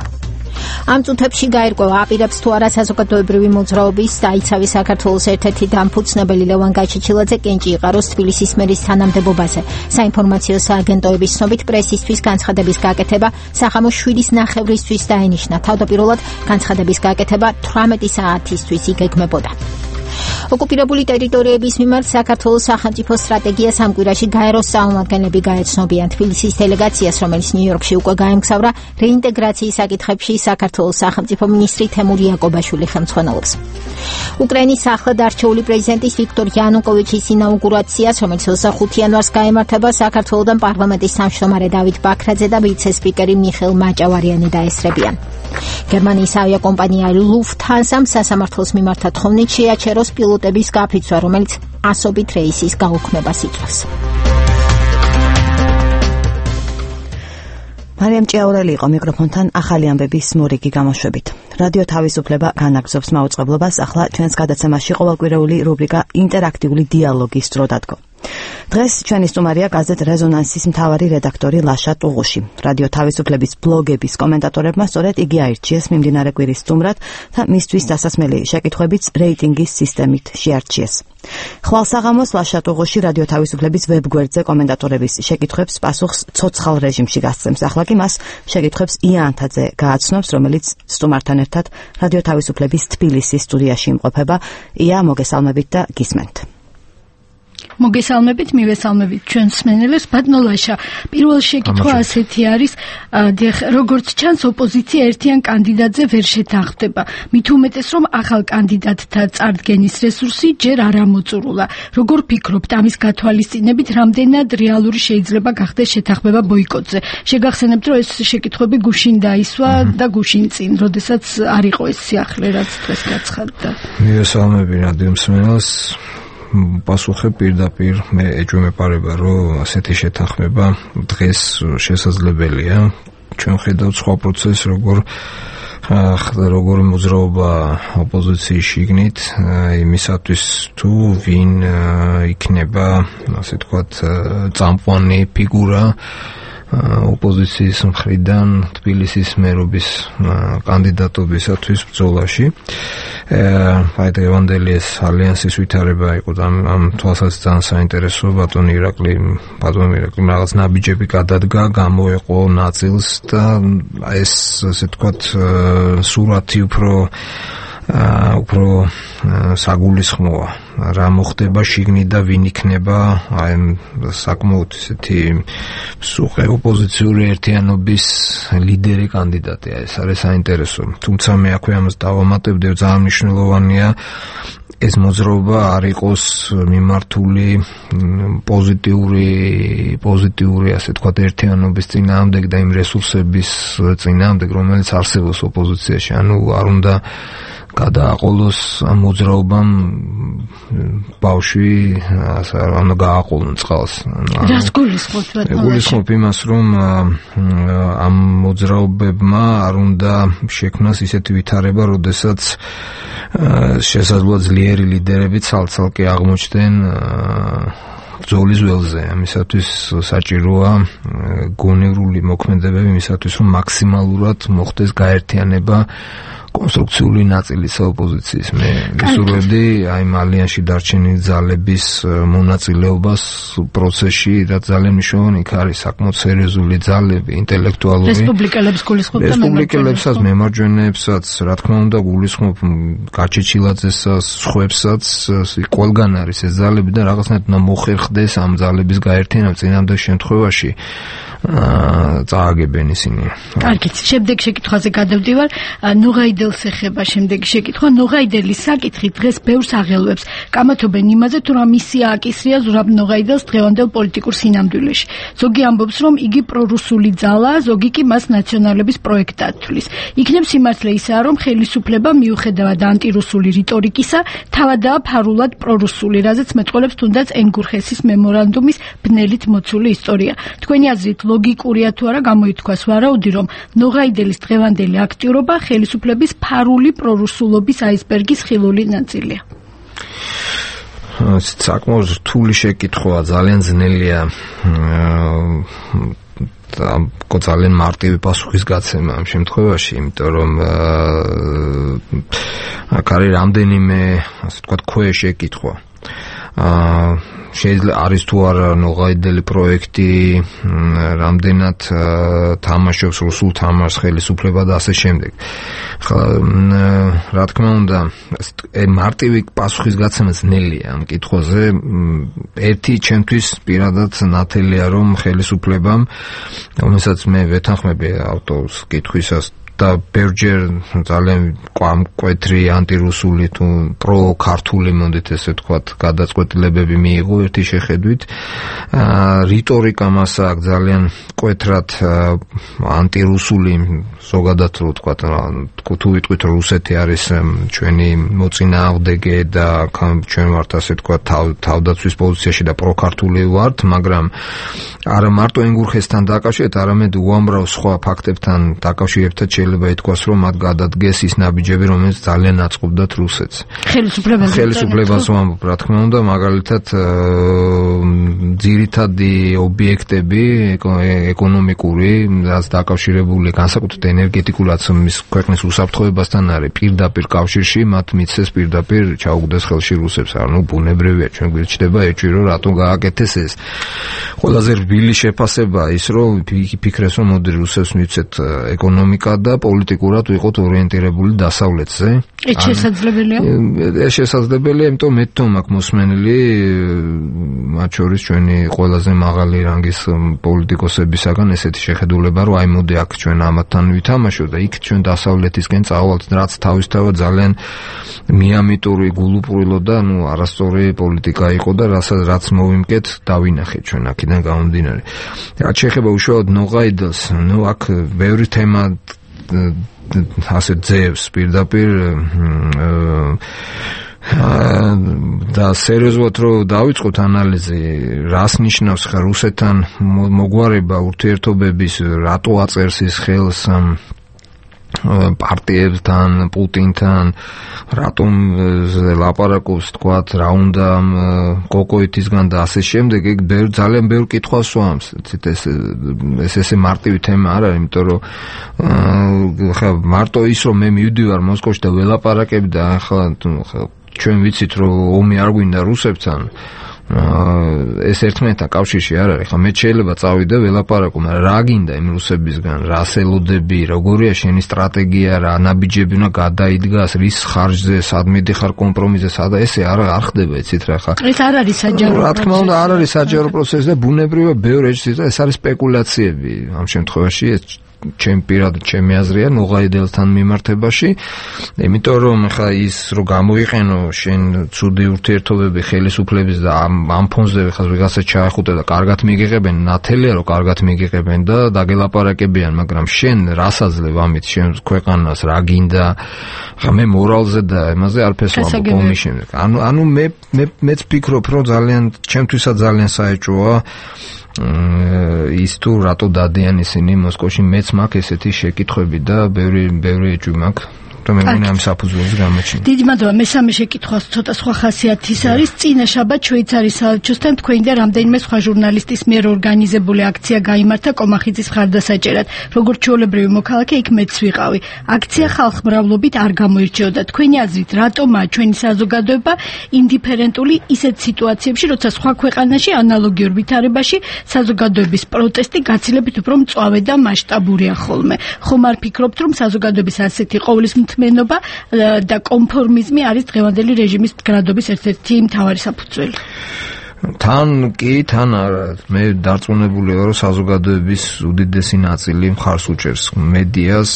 ამ წუთებში გაირკვევა აპირებს თუ არა საზოგადოებრივი მოძრაობის დაიცავი საქართველოს ერთ-ერთი დამფუძნებელი ლევან გაჩეჩილაძე კენჭი იყაროს თბილისის მერის თანამდებობაზე. საინფორმაციო სააგენტოების ცნობით პრესისთვის განცხადების გაკეთება სახამოს 7:09-ისთვის დაენიშნა. თავდაპირველად განცხადების გაკეთება 18 საათისთვის იგეგმებოდა. ოკუპირებული ტერიტორიების მიმართ საქართველოს სახელმწიფო სტრატეგიას ამ კვირაში გაეროს წარმომადგენლები გაეცნობიან. თბილისის დელეგაციას, რომელიც ნიუ-იორკში უკვე გაემგზავრა, რეინტეგრაციის საკითხებში საქართველოს სახელმწიფო მინისტრი თემურ იაკობაშვილი ხელმძღვანელობს. უკრაინის ახლად არჩეული პრეზიდენტის ვიქტორ იანუკოვიჩის ინაუგურაციას, რომელიც 25 იანვარს გაემართება, საქართველოდან პარლამენტის თავმჯდომარე დავით ბაქრაძე და ვიცე-სპიკერი მიხეილ მაჭავარიანი დაესწრებიან. გერმანიის ავიაკომპანია ლუფთჰანსამ სასამართლოს მიმართ თხოვნით შეაჩეროს პილოტების გაფიცვა, რომელიც ასობით რეისის გაუქმებას იწვევს. მარიამ ჭიაურელი იყო მიკროფონთან ახალი ამბების მორიგი გამოშვებით. რადიო თავისუფლება განაგრძობს მაუწყებლობას, ახლა ჩვენს გადაცემაში ყოველკვირეული რუბრიკა ინტერაქტიული დიალოგის დრო დადგო. დღეს ჩვენი სტუმარია გაზეთ რეზონანსის მთავარი რედაქტორი ლაშა ტუღუში. რადიო თავისუფლების ბლოგების კომენტატორებმა სწორედ იგი აირჩიეს მიმდინარე კვირის სტუმრად და მისთვის დასასმელი შეკითხვებიც რეიტინგის სისტემით შეარჩიეს. ხვალსაღამოს ლაშა ტუღუში რადიო თავისუფლების ვებგვერდზე კომენტატორების შეკითხვებს პასუხს ცოცხალ რეჟიმში გასცემს. ახლა კი მას შეკითხვებს ია ანთაძე გააცნობს, რომელიც სტუმართან ერთად რადიო თავისუფლების თბილისის სტუდიაში იმყოფება. ია, მოგესალმებით და გისმენთ. მოგესალმებით, მივესალმებით ჩვენს მსმენელებს. ბატონო ლაშა, პირველ შეკითხვა ასეთი არის, როგორც ჩანს, ოპოზიცია ერთიან კანდიდატზე ვერ შეთანხმდება. მით უმეტეს, რომ ახალ კანდიდატთა წარდგენის რესურსი ჯერ არ ამოწურულა. როგორ ფიქრობთ, ამის გათვალისწინებით რამდენად რეალური შეიძლება გახდეს შეთანხმება ბოიკოტზე? შეგახსენებთ, რომ ეს შეკითხვები გუშინ დაისვა და გუშინ წინ, როდესაც არ იყო ეს სიახლე, რაც დღეს გაცხადდა. მივესალმები რადიო მსმენელს. პასუხი პირდაპირ მე ეჭვმეპარება, რომ ასეთი შეთანხმება დღეს შესაძლებელია. ჩვენ ხედავთ სხვა პროცესს, როგორ მოძრაობა ოპოზიციის შიგნით იმისათვის თუ ვინ იქნება, ასე თქვათ, წამყვანი ფიგურა ოპოზიციის მხრიდან თბილისის მერობის კანდიდატობისათვის ბრძოლაში. აი დღევანდელი ალიანსის ვითარება იყო ამ თვალსაზრისით ძალიან საინტერესო. ბატონი ირაკლი რაღაც ნაბიჯები გადადგა, გამოეყო ნაწილს და ეს ასე ვთქვათ სურათი უფრო საგულისხმოა. რა მოხდება შიგნით და ვინ იქნება აი საკმაოდ ესეთი სუყე ოპოზიციური ერთიანობის ლიდერი კანდიდატი. ეს არის საინტერესო. თუმცა მე აქვე ამას დავამატებდი, ძალიან მნიშვნელოვანია ეს მოძრაობა არ იყოს მიმართული პოზიტიური ასე ვთქვათ ერთიანობის წინააღმდეგ და იმ რესურსების წინააღმდეგ, რომელიც არსებობს ოპოზიციაში. ანუ არ უნდა გადააყოლოს ამ მოძრაობამ ბავშვი ანუ გააყოლონ წყალს. რას გულისხმობთ ბატონო? გულისხმობ იმას, რომ ამ მოძრაობებმა არ უნდა შექმნას ისეთი ვითარება, როდესაც შესაძლოა ძლიერი ლიდერები ცალ-ცალკე აღმოჩნდნენ ბრძოლის ველზე. ამისათვის საჭიროა გონივრული მოქმედებები იმისათვის, რომ მაქსიმალურად მოხდეს გაერთიანება კონსტრუქციული ნაწილის ოპოზიციის. მე ვისურვებდი აი ალიანსში დარჩენილი ძალების მონაწილეობას პროცესში, რაც ძალიან მნიშვნელოვანი იქ არის საკმაოდ სერიოზული ძალები, ინტელექტუალური რესპუბლიკელებს გულისხმობ და რესპუბლიკელებსაც, მემარჯვენეებსაც, რა თქმა უნდა გულისხმობ გაჩეჩილაძესაც, სხვებსაც, ყველგან არის ეს ძალები და რაღაცნაირად უნდა მოხერხდეს ამ ძალების გაერთიანება წინამდელ შემთხვევაში წააგებენ ისინი. კარგით, შემდეგ შეკითხვაზე გადავდივარ. ნოღაიდელს ეხება შემდეგი შეკითხვა. ნოღაიდელის საკითხი დღეს ბევრს აღელვებს. კამათობენ იმაზე, თუ რა მისია აკისრია ზურაბ ნოღაიდელს დღევანდელ პოლიტიკურ სინამდვილეში. ზოგი ამბობს, რომ იგი პრორუსული ძალაა, ზოგი კი მას ნაციონალების პროექტად თვლის. იქნებ სიმართლე ისაა, რომ ხელისუფლება მიუხედავად ანტირუსული რიტორიკისა, თავადაა ფარულად პრორუსული, რაზეც მეტყოლებს თუნდაც ენგურხესის მემორანდუმის ბნელით მოცული ისტორია. თქვენი აზრით ლოგიკურია თუ არა გამოითქვას ვარაუდი, რომ ნოღაიდელის დღევანდელი აქტიურობა ხელისუფლების ფარული პრორუსულობის აისბერგის ხილული ნაწილია. საკმაოდ რთული შეკითხვაა, ძალიან ძნელია ძალიან მარტივი პასუხის გაცემა ამ შემთხვევაში, იმიტომ რომ აქ არის რამდენიმე ასე ვთქვათ ქვეშეკითხვა. შეიძლება არის თუ არა ნოღაიდელი პროექტი, რამდენად თამაშობს რუსულ თამაშს ხელისუფლება და ასე შემდეგ. რა თქმა უნდა, მარტივი პასუხის გაცემა ძნელია ამ კითხვაზე. ერთი ჩემთვის პირადად ნათელია, რომ ხელისუფლებამ, რომელსაც მე ვეთანხმები ავტორს კითხვისას და ბევრჯერ ძალიან მკვეთრი ანტირუსული თუ პრო-ქართული მონდით ესე ვთქვათ გადაწყვეტილებები მიიღო ერთი შეხედვით. რიტორიკა მას აქვს ძალიან მკვეთრად ანტირუსული, ზოგადად რო ვთქვათ, თუ ვიტყვით რუსეთი არის ჩვენი მოწინააღმდეგე და ჩვენ ვართ ასე ვთქვათ თავდაცვის პოზიციაში და პრო-ქართული ვართ, მაგრამ არა მარტო ენგურხესთან დაკავშირებით, არამედ უამრავ სხვა ფაქტებთან დაკავშირებთან შეიძლება ითქვას, რომ მათ გადადგეს ის ნაბიჯები, რომელიც ძალიან აწყობდათ რუსეთს. ხელისუფლებას ვამბობ, რა თქმა უნდა, მაგალითად ძირითადი ობიექტები ეკონომიკური, რაც დაკავშირებული განსაკუთრებით ენერგეტიკულად მის ქვეყნის უსაფრთხოებასთან არის პირდაპირ კავშირში, მათ მიცეს პირდაპირ ჩაუგდეს ხელში რუსებს. ანუ ბუნებრივია, ჩვენ გვიჩნდება ეჭვი, რომ რატომ გააკეთეს ეს. ყველაზე რბილი შეფასება ის, რომ ფიქრეს, რომ მოდი რუსებს მიცეთ ეკონომიკა და პოლიტიკურად ვიყოთ ორიენტირებული დასავლეთზე. ეს შესაძლებელია? ეს შესაძლებელია, იმიტომ მე თვითონ მაქვს მოსმენილი მათ შორის ჩვენი ყველაზე მაღალი რანგის პოლიტიკოსებისაგან ესეთი შეხედულება, რომ აი მოდი აქ ჩვენ ამათთან ვითამაშოთ და იქ ჩვენ დასავლეთისკენ წავალთ, რაც თავისთავად ძალიან მიამიტური გულუბრილო და არასწორი პოლიტიკა იყო და რაც მოვიმკეთ დავინახეთ ჩვენ აქედან გამომდინარე. რაც შეეხება უშუალოდ ნოღაიდელს, აქ ბევრი თემა ასე ძევს პირდაპირ და სერიოზულად რომ დავიწყოთ ანალიზი, რას ნიშნავს ხა რუსეთთან მოგვარება ურთიერთობების, რატო აწერს ის ხელს პარტიებთან, პუტინთან, რატომ ლაპარაკობს, თქვათ, რა უნდა კოკოიტისგან და ასე შემდეგ, ეგ ძალიან ბევრ კითხვას სვამს. ესე მარტივი თემა არ არის, იმიტომ რომ ხა მარტო ის რომ მე მივდივარ მოსკოვში და ველაპარაკები და ახლა ჩვენ ვიცით რომ ომი არ გვინდა რუსებთან, ეს ერთმანეთთან კავშირში არ არის. ხა მე შეიძლება წავიდე ველაპარაკო, მაგრამ რა გინდა იმ რუსებისგან, რა სელოდები, როგორია შენი სტრატეგია, რა ნაბიჯები უნდა გადაიდგას, რის ხარჯზე, სად მიდიხარ კომპრომისზე, სადა ესე არ ხდება, იცით რა ხა. ეს არ არის საჯარო. რა თქმა უნდა, არ არის საჯარო პროცესი და ბუნებრივია ბევრ ეჭვს და ეს არის სპეკულაციები ამ შემთხვევაში. ჩემი აზრია ნოღაიდელთან მიმართებაში, იმიტომ რომ ხა ის რომ გამოიყენო შენ ცუდი ურთიერთობები ხელისუფლების და ამ ფონზე ხა ვიღაცა ჩაახუტე და კარგად მიგიღებენ, ნათელია რომ კარგად მიგიღებენ და დაგელაპარაკებიან, მაგრამ შენ რას აძლევ ამით შენ ქვეყანას, რა გინდა? ხა მე მორალზე და იმაზე არაფერს ვამბობ ომის შემდეგ. ანუ მეც ვფიქრობ რომ ძალიან ჩემთვისაც ძალიან საეჭვოა ის თუ რატო დადიან ისინი მოსკოვში, მეც მაქვს ესეთი შეკითხვები და ბევრი ეჭვი მაქვს. რომ მე ამ საფუძველს გამოჩინე. დიდი მადლობა. მესამე შეკითხვას ცოტა სხვა ხასიათის არის. წინა შაბათ შვეიცარიის საელჩოსთან თქვენი და რამდენიმე სხვა ჟურნალისტის მიერ ორგანიზებული აქცია გაიმართა კომახიძის მხარდასაჭერად. როგორც ჩვეულებრივი მოქალაქე იქ მეც ვიყავი. აქცია ხალხმრავლობით არ გამოირჩეოდა. თქვენი აზრით, რატომაა ჩვენი საზოგადოება ინდიფერენტული ისეთ სიტუაციებში, როცა სხვა ქვეყანაში ანალოგიურ ვითარებაში საზოგადოების პროტესტი გაცილებით უფრო მწვავე და მასშტაბურია ხოლმე. ხომ არ ფიქრობთ, რომ საზოგადოების ასეთი ყოვლისმთმენობა და კონფორმიზმი არის დღევანდელი რეჟიმის მდგრადობის ერთ-ერთი მთავარი საფუძველი? თან არა. მე დარწმუნებული ვარ, რომ საზოგადოების უდიდესი ნაწილი მხარს უჭერს მედიას,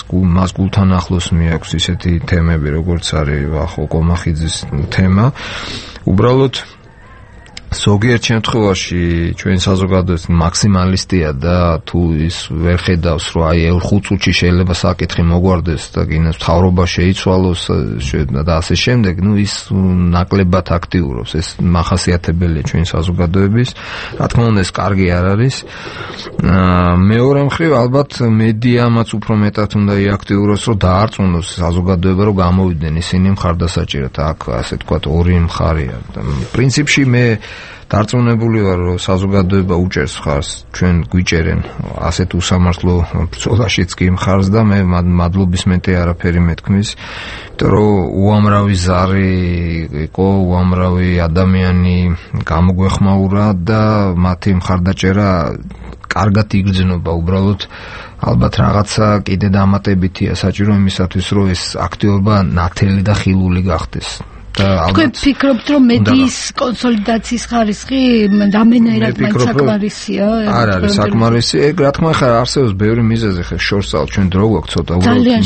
მას გულთან ახლოს მიაქვს ისეთი თემები, როგორც არის ახო კომახიძის თემა. უბრალოდ ზოგიერთ შემთხვევაში ჩვენ საზოგადოება მაქსიმალისტია და თუ ის ვერ ხედავს, რომ აი 5 წუთში შეიძლება საკითხი მოგვარდეს და კიდევ მთავრობა შეიცვალოს და ასე შემდეგ, ის ნაკლებად აქტიურობს. ეს მახასიათებელია ჩვენ საზოგადოების. რა თქმა უნდა, ეს კარგი არ არის. მეორე მხრივ, ალბათ მედიამაც უფრო მეტად უნდა იაქტიუროს, რომ დაარწმუნოს საზოგადოება, რომ გამოვიდნენ ისინი მხარდასაჭერად. აქ ასე თქვათ ორი მხარეა. პრინციპში მე დარწმუნებული ვარ, რომ საზოგადოება უჭერს მხარს, ჩვენ გვიჭერენ ასეთ უსამართლო ბრძოლაშიც კი მხარს და მე მადლობის მეტი არაფერი მეთქმის, იმიტომ რომ უამრავი ზარი იყო, უამრავი ადამიანი გამოგვეხმაურა და მათი მხარდაჭერა კარგად იგრძნობა. უბრალოდ ალბათ რაღაცა კიდე დამატებითია საჭირო იმისათვის, რომ ეს აქტივობა ნათელი და ხილული გახდეს. თქვენ ფიქრობთ, რომ მედიის კონსოლიდაციის ხარისხი რამდენადაც საკმარისია? არ არის საკმარისი. ეგ რა თქმა უნდა არსებობს ბევრი მიზეზი, ხა შორსალ ჩვენ დრო გვაქვს ცოტა.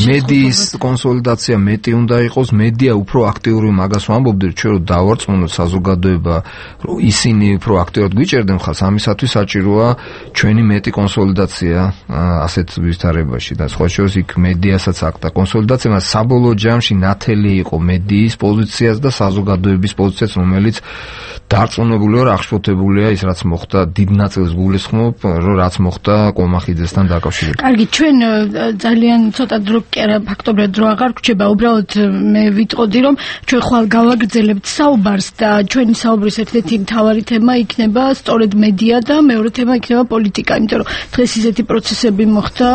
მედიის კონსოლიდაცია მეტი უნდა იყოს, მედია უფრო აქტიური, მაგას ვამბობდი, ჩვენ რომ დავარწმუნოთ საზოგადოება, რომ ისინი უფრო აქტიურად გვიჭერდნენ ხალხს, ამისათვის საჭიროა ჩვენი მეტი კონსოლიდაცია ასეთ ვითარებაში და სხვა შორის იქ მედიასაც აკტა კონსოლიდაცია, მაგრამ საბოლოო ჯამში ნათელი იყო მედიის პოზიცია და საზოგადოების პოზიციაც, რომელიც დარწმუნებული ვარ, აღშფოთებულია ის, რაც მოხდა, დიდ ნაწილს გულისხმობ, რომ რაც მოხდა კომახიძესთან დაკავშირებით. კარგი, ჩვენ ძალიან ცოტა დრო კი არა, ფაქტობრივად დრო აღარ გვჭირდება, უბრალოდ მე ვიტყოდი, რომ ჩვენ ხვალ გავაგრძელებთ საუბარს და ჩვენი საუბრის ერთ-ერთი მთავარი თემა იქნება სწორედ მედია და მეორე თემა იქნება პოლიტიკა, იმიტომ რომ დღეს ისეთი პროცესები მოხდა,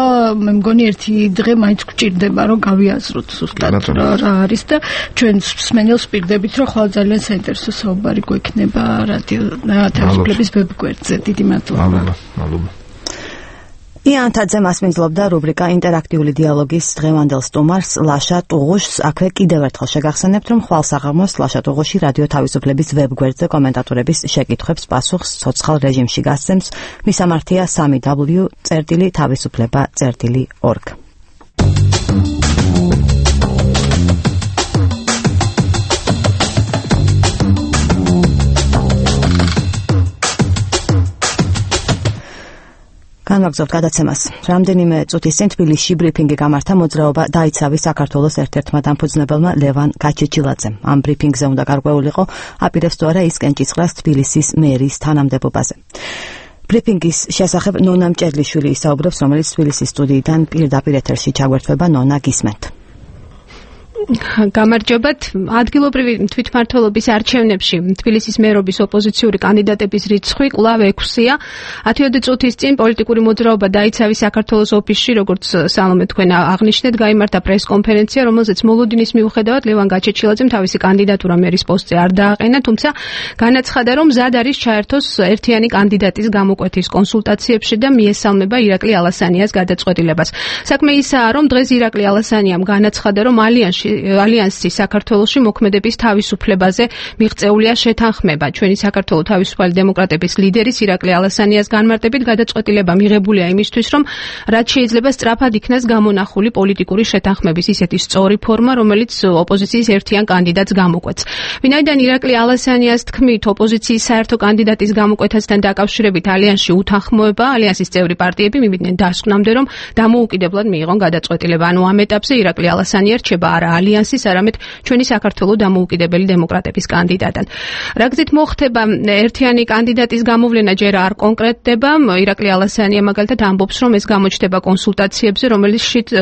მე მგონი ერთი დღე მაინც გვჭირდება, რომ გავიაზროთ ზუსტად რა არის და ჩვენ მსმენელს პირდებით, რომ ხვალ ძალიან საინტერესო საუბარი გვექნება რადიო თავისუფლების ვებგვერდზე. დიდი მადლობა. მადლობა. იან თაძე მასპინძლობდა რუბრიკა ინტერაქტიული დიალოგის დღევანდელ სტუმარს ლაშა ტუღუშს. აქვე კიდევ ერთხელ შეგახსენებთ, რომ ხვალ საღამოს ლაშა ტუღუში რადიო თავისუფლების ვებგვერდზე კომენტატორების შეკითხვებს პასუხს ცოცხალ რეჟიმში გასცემს. მისამართია 3w.თავისუფლება.org. განვაგრძობთ გადაცემას. რამდენიმე წუთის წინ თბილისში ბრიფინგი გამართა მოძრაობა დაიცავი საქართველოს ერთ-ერთმა დამფუძნებელმა ლევან გაჩეჩილაძემ. ამ ბრიფინგზე უნდა გარკვეულიყო აპირებს თუ არა ის კენჭისყრას თბილისის მერის თანამდებობაზე. ბრიფინგის შესახებ ნონა მჭედლიშვილი ისაუბრებს, რომელიც თბილისის სტუდიიდან პირდაპირ ეთერში ჩაგვერთვება. ნონა, გისმენთ. გამარჯობათ. ადგილობრივი თვითმმართველობის არჩევნებში თბილისის მერობის ოპოზიციური კანდიდატების რიცხვი კვლავ 6-ია. 10 წუთის წინ პოლიტიკური მოძრაობა დაიცავი საქართველოს ოფისში, როგორც სალომე თქვენ აღნიშნეთ, გაიმართა პრესკონფერენცია, რომელზეც მოლოდინის მიუხედავად ლევან გაჩეჩილაძემ თავისი კანდიდატურა მერის პოსტზე არ დააყენა, თუმცა განაცხადა, რომ მზად არის ჩაერთოს ერთიანი კანდიდატის გამოკვეთის კონსულტაციებში და მიესალმება ირაკლი ალასანიას გადაწყვეტილებას. საქმე ისაა, რომ დღეს ირაკლი ალასანიამ განაცხადა, რომ ალიანსი საქართველოში მოქმედების თავისუფლებაზე მიღწეულია შეთანხმება. ჩვენი საქართველოს თავისუფალი დემოკრატების ლიდერის ირაკლი ალასანიას განმარტებით გადაწყვეტილება მიღებულია იმისთვის, რომ რაც შეიძლება სწრაფად იქნას გამონახული პოლიტიკური შეთანხმების ისეთი სწორი ფორმა, რომელიც ოპოზიციის ერთიან კანდიდატს გამოკვეთს. ვინაიდან ირაკლი ალასანიას თქმით, ოპოზიციის საერთო კანდიდატის გამოკვეთასთან დაკავშირებით ალიანსში უთანხმოება, ალიანსის წევრი პარტიები მივიდნენ დასკვნამდე, რომ დამოუკიდებლად მიიღონ გადაწყვეტილება. ანუ ამ ეტაპზე ირაკლი ალასანია რჩება არა ალიანსის, არამედ ჩვენი საქართველოს დამოუკიდებელი დემოკრატების კანდიდატად. რა გზით მოხდება ერთიანი კანდიდატის გამოვლენა ჯერ არ კონკრეტდება. ირაკლი ალასანია მაგალითად ამბობს, რომ ეს გამოჩნდება კონსულტაციებზე,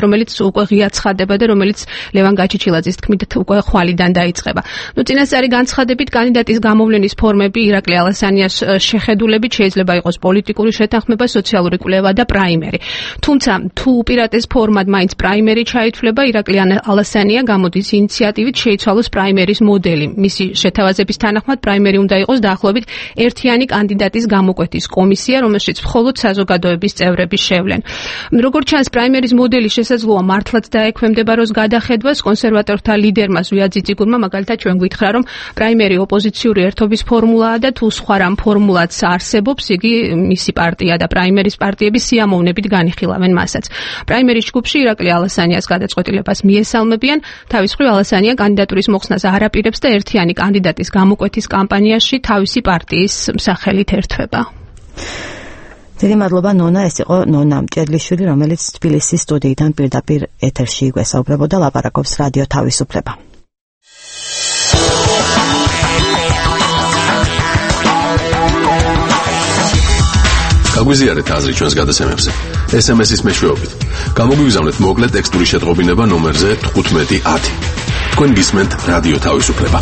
რომელიც უკვე ღია ცხადდება და რომელიც ლევან გაჩეჩილაძის თქმით უკვე ხვალიდან დაიწყება. წინასწარი განცხადებით კანდიდატის გამოვლენის ფორმები ირაკლი ალასანიას შეხედულებით შეიძლება იყოს პოლიტიკური შეთანხმება, სოციალური კვლევა და პრაიმერი. თუმცა თუ უპირატეს ფორმად მაინც პრაიმერი ჩაითვლება, ირაკლი ალასანია გამოდის ინიციატივით შეიცვალოს პრაიმერის მოდელი. მისი შეთავაზების თანახმად პრაიმერი უნდა იყოს დაახლოებით ერთიანი კანდიდატის გამოკვეთის კომისია, რომელშიც მხოლოდ საზოგადოების წევრები შევლენ. როგორც ჩანს, პრაიმერის მოდელი შესაძლოა მართლაც დაექვემდებაროს გადახედვას. კონსერვატორთა ლიდერმა ზვია ძიძიგურმა მაგალითად ჩვენ გითხრა, რომ პრაიმერი ოპოზიციური ერთობის ფორმულაა და თუ სხვა რამ ფორმულაც არსებობს, იგი მისი პარტია და პრაიმერის პარტიები სიამოვნებით განიხილავენ მასაც. პრაიმერის ჯგუფში ირაკლი ალასანიას გადაწყვეტილებას მიესალმებიან. თავის მხრივ ალასანია კანდიდატურის მოხსნას არ აპირებს და ერთიანი კანდიდატის გამოკვეთის კამპანიაში თავისი პარტიის სახელით ერთვება. დიდი მადლობა ნონა, ეს იყო ნონა მჭედლიშვილი, რომელიც თბილისის სტუდიიდან პირდაპირ ეთერში გვესაუბრებოდა, ლაპარაკობს რადიო თავისუფლება. გაგვიზიარეთ აზრი ჩვენს გადაცემებზე. SMS-ის მეშვეობით. გამოგვიგზავნეთ მოკლე ტექსტური შეტყობინება ნომერზე 1510. თქვენ გისმენთ რადიო თავისუფლება.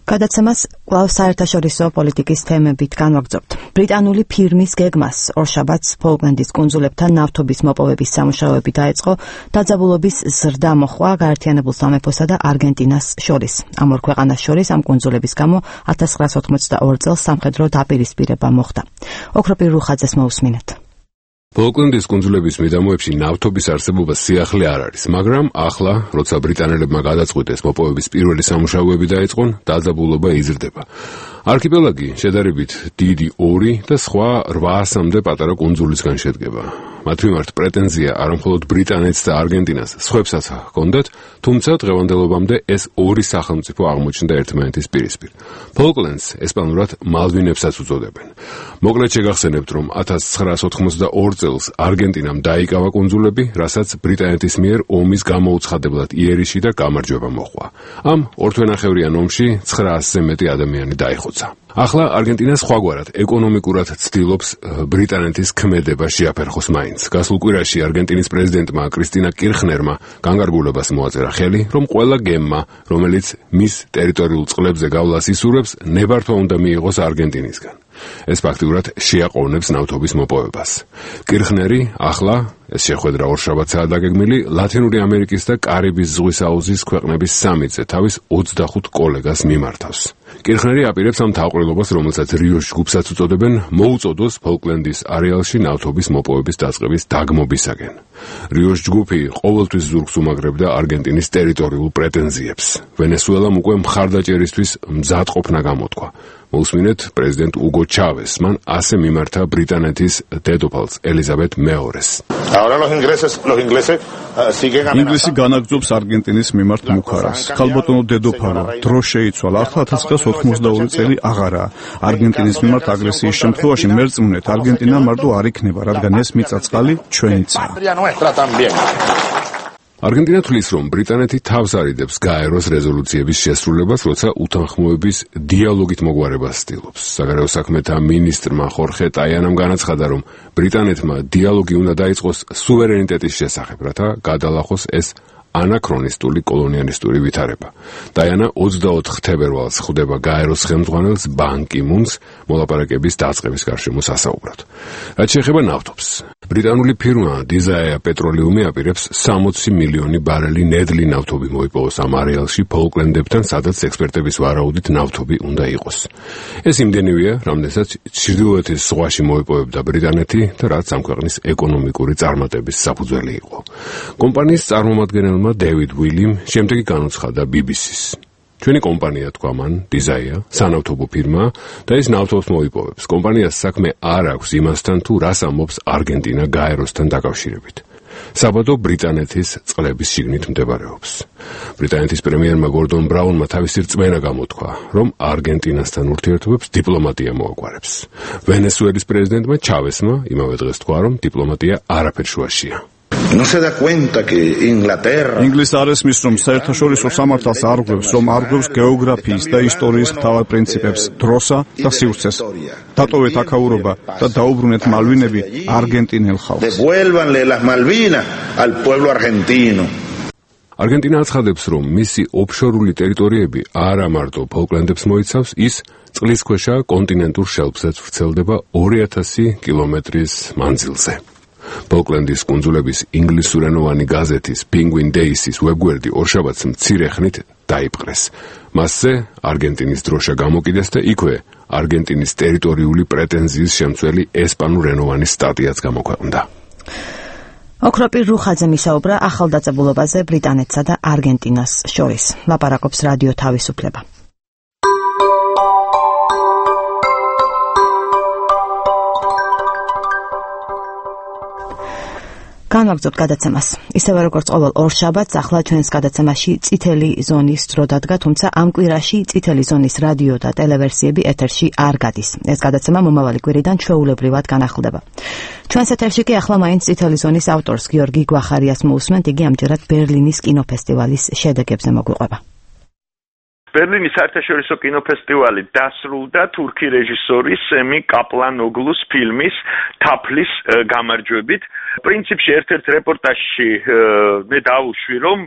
გადაცემას კვლავ საერთაშორისო პოლიტიკის თემებით განვაგრძობთ. ბრიტანული ფირმის გეგმას ორშაბათს ფოლკლენდის კუნძულებთან ნავთობის მოპოვების სამუშაოები დაეწყო, დაძაბულობის ზრდა მოხდა გაერთიანებულ სამეფოსა და არგენტინას შორის. ამ ორ ქვეყანას შორის ამ კუნძულების გამო 1982 წელს სამხედრო დაპირისპირება მოხდა. ოქროპირ რუხაძეს მოусმინეთ. ფოლკლენდის კუნძულების მიდამოებში ნავთობის არსებობა სიახლე არ არის, მაგრამ ახლა, როცა ბრიტანელებმა გადაწყვიტეს მოპოვების პირველი სამუშაოები დაიწყონ, დაძაბულობა იზრდება. არქიპელაგი შედარებით დიდი 2 და სხვა 800-მდე პატარა კუნძულისგან შედგება. მათ მიმართ პრეტენზია არამხოლოდ ბრიტანეთს და არგენტინას, სხვებსაც ჰქონდათ, თუმცა დღევანდელობამდე ეს ორი სახელმწიფო აღმოჩნდა ერთმანეთის პირისპირ. ფოლკლენდს ესპანურად მალვინებსაც უწოდებენ. მოკლედ შეგახსენებთ, რომ 1982 წელს არგენტინამ დაიკავა კუნძულები, რასაც ბრიტანეთის მიერ ომის გამოუცხადებლად იერიში და გამარჯვება მოჰყვა. ამ ორთვენახევრიან ომში 900-ზე მეტი ადამიანი დაიხოცა. ახლა არგენტინა სხვაგვარად ეკონომიკურად ცდილობს ბრიტანეთის ქმედება შეაფერხოს მაინც. გასულ კვირაში არგენტინის პრეზიდენტმა კრისტინა კირხნერმა განკარგულებას მოაწერა ხელი, რომ ყველა გემმა, რომელიც მის ტერიტორიულ წყლებზე გავლას ისურვებს, ნებართვა უნდა მიიღოს არგენტინისგან. ეს ფაქტიურად შეაყოვნებს ნავთობის მოპოვებას. კირხნერი ახლა ეს შეხვედრა ორშაბათსაა დაგეგმილი ლათინური ამერიკის და კარიბის ზღვის აუზის ქვეყნების სამიტზე თავის 25 კოლეგას მიმართავს. კირხნერი აპირებს ამ თავყრილობას, რომელსაც რიოს ჯგუფსაც უწოდებენ, მოუწოდოს ფოლკლენდის არეალში ნავთობის მოპოვების დაწყების დაგმობისაკენ. რიოს ჯგუფი ყოველთვის ზურგს უმაგრებდა არგენტინის ტერიტორიულ პრეტენზიებს. ვენესუელამ უკვე მხარდაჭერისთვის მზადყოფნა გამოთქვა. მოусმინეთ პრეზიდენტ უგო ჩავეს, მან ასე მიმართა ბრიტანეთის დედოფალს ელიზაბეთ მეორეს. ინგლისი განაგრძობს არგენტინის მიმართ მუქარას. ხალბატონო დედოფალო, დრო შეიცვალა, ახლა 1982 წელი აღარაა. არგენტინის მიმართ აგრესიის შემთხვევაში მერწმუნეთ, არგენტინა მარტო არ იქნება, რადგან ეს მიწა-წყალი ჩვენიცაა. არგენტინა თვლის, რომ ბრიტანეთი თავს არიდებს გაეროს რეზოლუციების შესრულებას, როცა უთანხმოების დიალოგით მოგვარებას ცდილობს. საგარეო საქმეთა მინისტრმა ხორხე ტაიანამ განაცხადა, რომ ბრიტანეთმა დიალოგი უნდა დაიწყოს სუვერენიტეტის შესახებ, რათა გადალახოს ეს ანაქრონისტული კოლონიალისტური ვითარება. ტაიანა 24 თებერვალს ხვდება გაეროს ხელმძღვანელს ბან კი მუნს მოლაპარაკების დაწყების გარშემო სასაუბრად. რაც შეეხება ნავთობს, ბრიტანული ფირმა დიზაია პეტროლიუმი აპირებს 60 მილიონი ბარელი ნედლი ნავთობი მოიპოვოს ამ არეალში ფოლკლენდებთან, სადაც ექსპერტების ვარაუდით ნავთობი უნდა იყოს. ეს იმდენივეა, რამდენსაც ჩრდილოეთის ზღვაში მოიპოვებდა ბრიტანეთი და რაც ამ ქვეყნის ეკონომიკური წარმატების საფუძველი იყო. კომპანიის წარმომადგენელმა დევიდ უილიმ შემდეგი განუცხადა BBC-ს. ჩვენი კომპანია, თქვა მან, დიზაია, სანავთობო ფირმა და ის ნავთობს მოიპოვებს. კომპანიას საქმე არ აქვს იმასთან, თუ რას ამბობს არგენტინა გაეროსთან დაკავშირებით. საბადო ბრიტანეთის წყლების შიგნით მდებარეობს. ბრიტანეთის პრემიერმა გორდონ ბრაუნმა თავისი რწმენა გამოთქვა, რომ არგენტინასთან ურთიერთობებს დიპლომატია მოაგვარებს. ვენესუელის პრეზიდენტმა ჩავესმა იმავე დღეს თქვა, რომ დიპლომატია არაფერ შუაშია. No se da cuenta que Inglaterra ინგლისი არ ესმის, რომ საერთაშორისო სამართალს არღვევს, რომ არღვევს გეოგრაფიის და ისტორიის მთავარ პრინციპებს, დროსა და სივრცეს. დატოვეთ აქაურობა და დაუბრუნეთ მალვინები არგენტინელ ხალხს. Devuélvanle las Malvinas al pueblo argentino. არგენტინა აცხადებს, რომ მისი ოფშორული ტერიტორიები არა მარტო ფოლკლენდებს მოიცავს, ის წყლისქვეშა კონტინენტურ შელფსაც ვრცელდება 2000 კილომეტრის მანძილზე. ფოლკლენდის კუნძულების ინგლისურენოვანი გაზეთის Penguin Days-ის ვებგვერდი ორშაბათს მცირე ხნით დაიპყრეს. მასზე არგენტინის დროშა გამოკიდეს და იქვე არგენტინის ტერიტორიული პრეტენზიის შემცველი ესპანურენოვანი სტატიაც გამოქვეყნდა. ოქროპირ რუხაძე მისაუბრა ახალ დაძაბულობაზე ბრიტანეთსა და არგენტინას შორის. ლაპარაკობს რადიო თავისუფლება. განვაგრძობთ გადაცემას. ისევე როგორც ყოველ ორშაბათს, ახლა ჩვენს გადაცემაში წითელი ზონის დრო დადგა, თუმცა ამ კვირაში წითელი ზონის რადიო და ტელევერსიები ეთერში არ გადის. ეს გადაცემა მომავალი კვირიდან ჩვეულებრივად განახლდება. ჩვენს ეთერში კი ახლა მაინც წითელი ზონის ავტორს გიორგი გვახარიას მოусმენთ, იგი ამჯერად ბერლინის კინოფესტივალის შედეგებზე მოგვიყვება. ბერლინის საერთაშორისო კინოფესტივალი დასრულდა თურქი რეჟისორის სემი კაპლანოგლუს ფილმის თაფლის გამარჯვებით. პრინციპში ერთ-ერთ რეპორტაჟში მე დავუშვი, რომ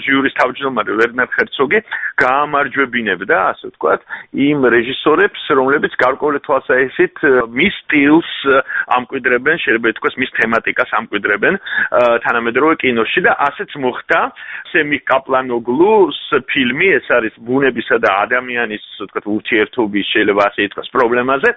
ჟიურის თავმჯდომარე ვერნერ ჰერცოგი გაამარჯვებინებდა, ასე ვთქვათ, იმ რეჟისორებს, რომლებიც გარკვეული თვალსაჩინით მის სტილს ამკვიდრებენ, შეიძლება ითქვას, მის თემატიკას ამკვიდრებენ თანამედროვე კინოში და ასეც მოხდა სემი კაპლანოგლუს ფილმი, ეს არის ბუნებისა და ადამიანის, ვთქვათ, ურთიერთობის, შეიძლება ასე ითქვას, პრობლემაზე,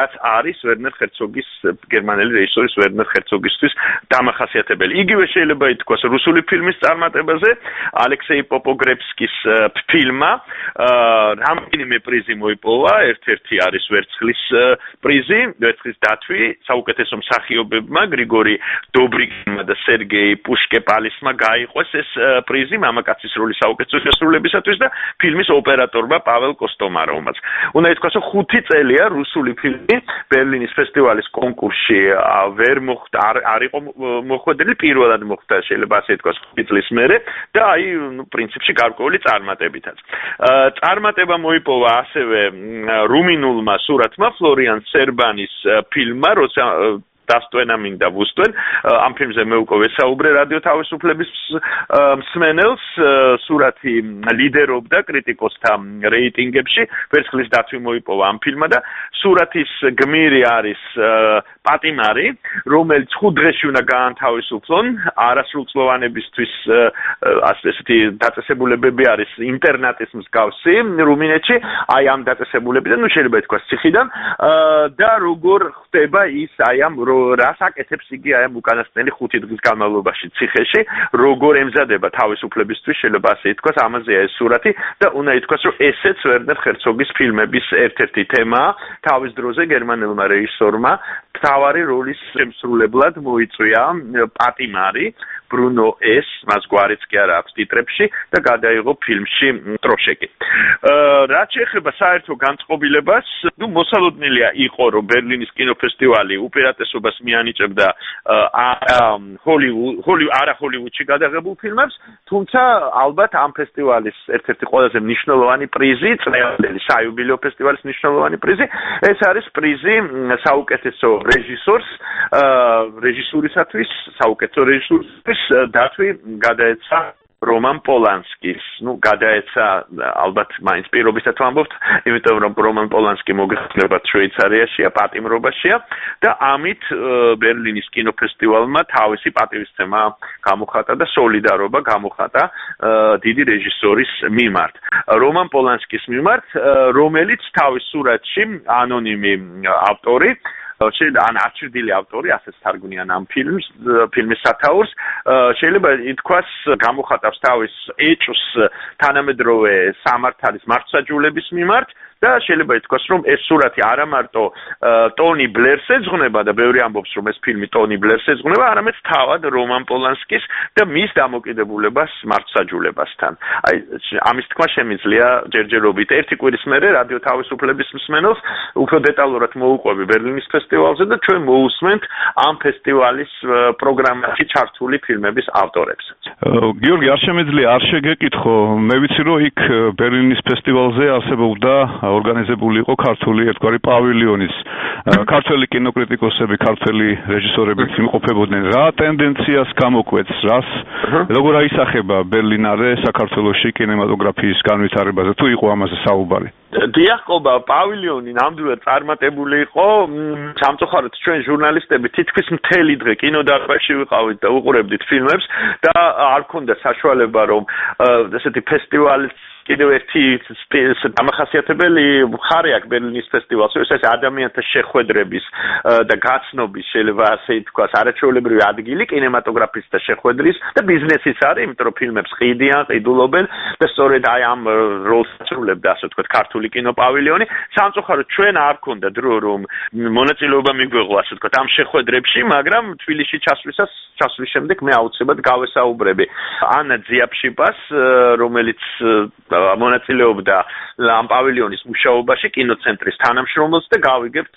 რაც არის ვერნერ ჰერცოგის, გერმანელი რეჟისორის ვერნერ ჰერცოგისთვის დამახასიათებელი. იგივე შეიძლება ითქვას რუსული ფილმის წარმატებაზე, ალექსეი პოპოგრებსკის ფილმმა რამდენიმე პრიზი მოიპოვა, ერთ-ერთი არის ვერცხლის პრიზი, ვერცხლის დათვი საუკეთესო მსახიობებმა, გრიგორი დობრიგინმა და სერგეი პუშკეპალისმა გაიყვეს ეს პრიზი მამაკაცის როლის საუკეთესო შესრულებისათვის და ფილმის ოპერატორმა პაվել კოსტომაროვმაც. უნდა ითქვას, რომ 5 წელია რუსული ფილმი ბერლინის ფესტივალის კონკურსში ვერ მოხვდა, არ იყო მოხვედრილი, პირველად მოხვდა, შეიძლება ასე ითქვას, 5 წლის მერე და აი, პრინციპში გარკვეული წარმატებითაც. წარმატება მოიპოვა ასევე რუმინულმა სურათმა ფლორიან სერბანის ფილმმა, როცა დასტვენა მინდა ვუსტვენ, ამ ფილმზე მე უკვე ვესაუბრე რადიო თავისუფლების მსმენელს, სურათი ლიდერობდა კრიტიკოსთა რეიტინგებში, ვერცხლის დათვი მოიპოვა ამ ფილმმა და სურათის გმირი არის პატიმარი, რომელიც 5 დღეში უნდა გაანთავისუფლონ, არასრულწლოვანებისთვის ასეთი დაწესებულებები არის ინტერნატის მსგავსი რუმინეთში, აი ამ დაწესებულებიდან, შეიძლება ითქვას ციხიდან და როგორ ხდება ის აი ამ რას აკეთებს იგი აი ამ უკანასკნელი 5 დღის განმავლობაში ციხეში, როგორ ემზადება თავისუფლებისთვის, შეიძლება ასე ითქვას, ამაზეა ეს სურათი და უნდა ითქვას, რომ ესეც ვერნერ ჰერცოგის ფილმების ერთ-ერთი თემაა. თავის დროზე გერმანელმა რეჟისორმა მთავარი როლის შემსრულებლად მოიწვია პატიმარი, ბრუნო ეს, მას გვარიც კი არა აქვს ტიტრებში და გადაიღო ფილმში ტროშეკი. რაც შეეხება საერთო განწყობილებას, მოსალოდნელია იყო, რომ ბერლინის კინოფესტივალი უპირატესობას მიანიჭებდა არა ჰოლივუდში გადაღებულ ფილმებს, თუმცა ალბათ ამ ფესტივალის ერთ-ერთი ყველაზე მნიშვნელოვანი პრიზი, წლევანდელი საიუბილეო ფესტივალის მნიშვნელოვანი პრიზი, ეს არის პრიზი საუკეთესო რეჟისურისათვის, საუკეთესო რეჟისურისთვის დათვი გადაეცა რომან პოლანსკის, გადაეცა ალბათ მაინც პირობისად ვამბობთ, იმიტომ რომ რომან პოლანსკი მოგეხსენებათ შვეიცარიაშია, პატიმრობაშია და ამით ბერლინის კინოფესტივალმა თავისი პატივისცემა გამოხატა და სოლიდარობა გამოხატა დიდი რეჟისორის მიმართ. რომან პოლანსკის მიმართ, რომელიც თავის სურათში ანონიმი ავტორი ან არჩევილი ავტორი, ასეც თარგმნიან ამ ფილმის სათაურს, შეიძლება ითქვას გამოხატავს თავის ეჭვს თანამედროვე სამართალის მართლმსაჯულების მიმართ და შეიძლება ითქვას, რომ ეს სურათი არა მარტო ტონი ბლერს ეძღვნება და ბევრი ამბობს, რომ ეს ფილმი ტონი ბლერს ეძღვნება, არამედ თავად რომან პოლანსკის და მის დამოკიდებულებას მართლმსაჯულებასთან. აი, ამის თქმა შემიძლია ჯერჯერობით ერთი კვირის მერე რადიო თავისუფლების მსმენელს უფრო დეტალურად მოუყვები ბერლინის ფესტივალზე და ჩვენ მოусმენთ ამ ფესტივალის პროგრამაში ჩართული ფილმების ავტორებს. გიორგი, არ შემიძლია არ შეგეკითხო, მე ვიცი, რომ იქ ბერლინის ფესტივალზე არსებობდა ორგანიზებული იყო ქართული ერთგვარი პავილიონის ქართველი კინოკრიტიკოსები, ქართველი რეჟისორები იმყოფებოდნენ. რა ტენდენციას გამოკვეთს, როგორ აისახება ბერლინარე საქართველოში კინემატოგრაფიის განვითარებაზე, თუ იყო ამაზე საუბარი? დიახობა, პავილიონი ნამდვილად წარმატებული იყო. სამწუხაროდ ჩვენ ჟურნალისტები თითქმის მთელი დღე კინოდარბაზში ვიყავით და უყურებდით ფილმებს და არ ქონდა საშუალება, რომ ესეთი ფესტივალის კიდევ ერთი დამახასიათებელი მხარე აქვს ბერლინის ფესტივალს, ეს ადამიანთა შეხვედრების და გაცნობის, შეიძლება ასე ითქვას, არაჩვეულებრივი ადგილი კინემატოგრაფისტთა შეხვედრის და ბიზნესის არის, იმიტომ რომ ფილმებს ყიდიან, ყიდულობენ და სწორედ აი ამ როლს ასრულებდა, ასე ვთქვათ, ქართული კინოპავილიონი. სამწუხაროდ ჩვენ არ ქონდა დრო, რომ მონაწილეობა მიგვეღო, ასე ვთქვათ, ამ შეხვედრებში, მაგრამ თბილისში ჩასვლის შემდეგ მე აუცილებლად გავესაუბრები ანა ძიაფშიპას, რომელიც მონაწილეობდა ამ პავილიონის მუშაობაში კინოცენტრის თანამშრომელს და გავიგებთ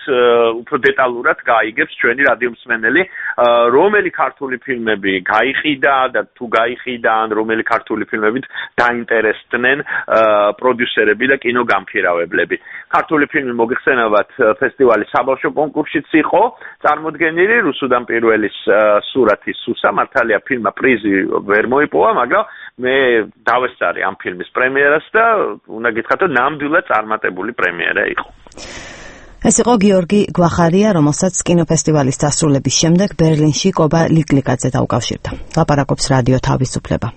უფრო დეტალურად გაიგებს ჩვენი რადიომსმენელი რომელი ქართული ფილმები გაიყიდა და თუ გაიყიდა ან რომელი ქართული ფილმებით დაინტერესდნენ პროდიუსერები და კინოგამქირავებლები. ქართული ფილმი მოგეხსენებათ ფესტივალის საბავშვო კონკურსშიც იყო წარმოდგენილი, რუსუდან პირველის სურათი სუსა, მართალია ფილმმა პრიზი ვერ მოიპოვა, მაგრამ მე დავესწარი ამ ფილმის პრემიერას და უნდა გითხრათ, რომ ნამდვილად წარმატებული პრემიერა იყო. ეს იყო გიორგი გვახარია, რომელსაც კინოფესტივალის დასრულების შემდეგ ბერლინში კობა ლიკლიკაძე დაუკავშირდა. ლაპარაკობს რადიო თავისუფლება.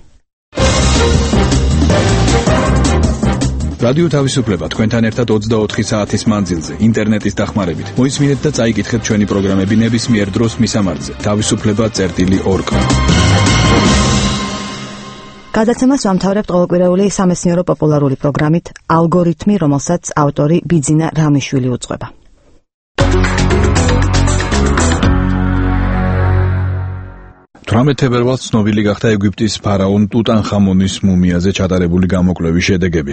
რადიო თავისუფლება თქვენთან ერთად 24 საათის მანძილზე ინტერნეტის დახმარებით. მოისმინეთ და წაიკითხეთ ჩვენი პროგრამები ნებისმიერ დროს მისამართზე. თავისუფლება.org. გადაცემას ვამთავრებთ ყოველკვირეული სამეცნიერო პოპულარული პროგრამით ალგორითმი, რომელსაც ავტორი ბიძინა რამიშვილი უძღვება. 18 თებერვალს ცნობილი გახდა ეგვიპტის ფარაონ ტუტანხამონის მუმიაზე ჩატარებული გამოკვლევის შედეგები.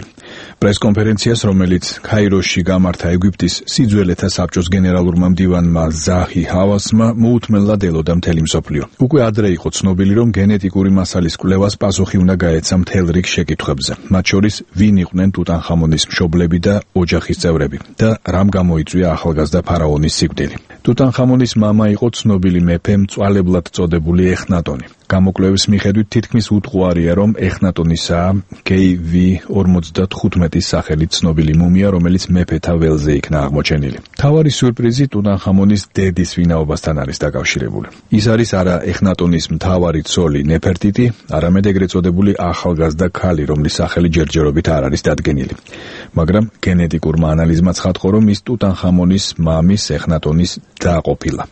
პრესკონფერენციას, რომელიც ქაიროში გამართა ეგვიპტის სიძველეთა საბჭოს გენერალურმა მდივანმა ზაჰი ჰავასმა, მოუთმენლად ელოდა მთელი მსოფლიო. უკვე ადრე იყო ცნობილი, რომ გენეტიკური მასალის კვლევას პასუხი უნდა გაეცა მთელ რიგ შეკითხვებზე, მათ შორის ვინ იყვნენ ტუტანხამონის მშობლები და ოჯახის წევრები და რამ გამოიწვია ახალგაზრდა ფარაონის სიკვდილი. ტუტანხამონის მამა იყო ცნობილი მეფე მწვალებლად წოდებული ეხნატონი. გამოკვლევის მიხედვით თითქმის უტყუარია, რომ ეხნატონისაა KV-45-ის სახელით ცნობილი მუმია, რომელიც მეფეთა ველზე იქნა აღმოჩენილი. მთავარი სიურპრიზი ტუტანხამონის დედის ვინაობასთან არის დაკავშირებული. ის არის არა ეხნატონის მთავარი ცოლი ნეფერტიტი, არამედ ეგრეთ წოდებული ახალგაზრდა ქალი, რომლის სახელი ჯერჯერობით არ არის დადგენილი. მაგრამ გენეტიკურმა ანალიზმა ცხადყო, რომ ის ტუტანხამონის მამის ეხნატონის და ყოფილა.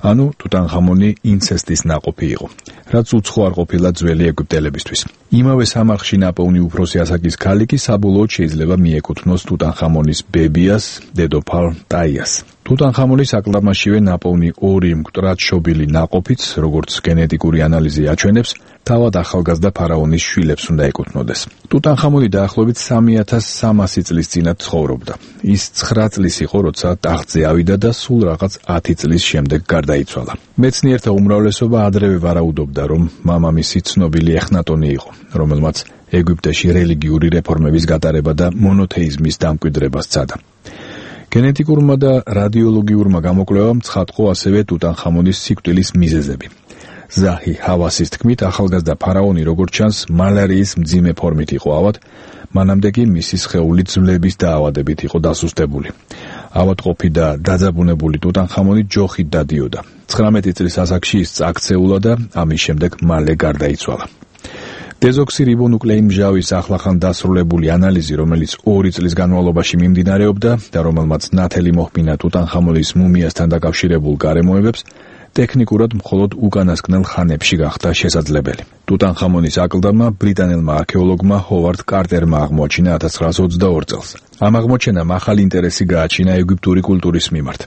ანუ ტუტანხამონი ინცესტის ნაყოფი იყო, რაც უცხო არ ყოფილა ძველი ეგვიპტელებისთვის. იმავე სამარხში ნაპოვნი უფროსი ასაკის ქალი კი საბოლოოდ შეიძლება მიეკუთვნოს ტუტანხამონის ბებიას, დედოფალ ტაიას. ტუტანხამონის აკლდამაშივე ნაპოვნი 2 მკვდრად შობილი ნაყოფიც, როგორც გენეტიკური ანალიზი აჩვენებს, თავად ახალგაზრდა ფარაონის შვილებს უნდა ეკუთვნოდეს. ტუტანხამონი დაახლოებით 3300 წლის წინათ ცხოვრობდა. ის 9 წლის იყო, როცა ტახტზე ავიდა და სულ რაღაც 10 წლის შემდეგ გარდაიცვალა. მეცნიერთა უმრავლესობა ადრევე ვარაუდობდა, რომ მამამისი ცნობილი ეხნატონი იყო, რომელმაც ეგვიპტეში რელიგიური რეფორმების გატარება და მონოთეიზმის დამკვიდრება სცადა. გენეტიკურმა და რადიოლოგიურმა გამოკვლევამ ცხადყო ასევე ტუტანხამონის სიკვდილის მიზეზები. ზაჰი ჰავასის თქმით, ახალგაზრდა ფარაონი როგორც ჩანს მალარიის მძიმე ფორმით იყო ავად, მანამდე კი მისი სხეული ძვლების დაავადებით იყო დასუსტებული. ავადმყოფი და დაძაბუნებული ტუტანხამონი ჯოხით დადიოდა. 19 წლის ასაკში ის წაქცეულა და ამის შემდეგ მალე გარდაიცვალა. დეზოქსირიბონუკლეინმჟავის ახლახან დასრულებული ანალიზი, რომელიც 2 წლის განმავლობაში მიმდინარეობდა და რომელმაც ნათელი მოჰმინა ტუტანხამონის მუმიასთან დაკავშირებულ გარემოებებს, ტექნიკურად მხოლოდ უკანასკნელ ხანებში გახდა შესაძლებელი. ტუტანხამონის აკლდამა ბრიტანელმა არქეოლოგმა ჰოვარდ კარტერმა აღმოაჩინა 1922 წელს. ამ აღმოჩენამ ახალი ინტერესი გააჩინა ეგვიპტური კულტურის მიმართ.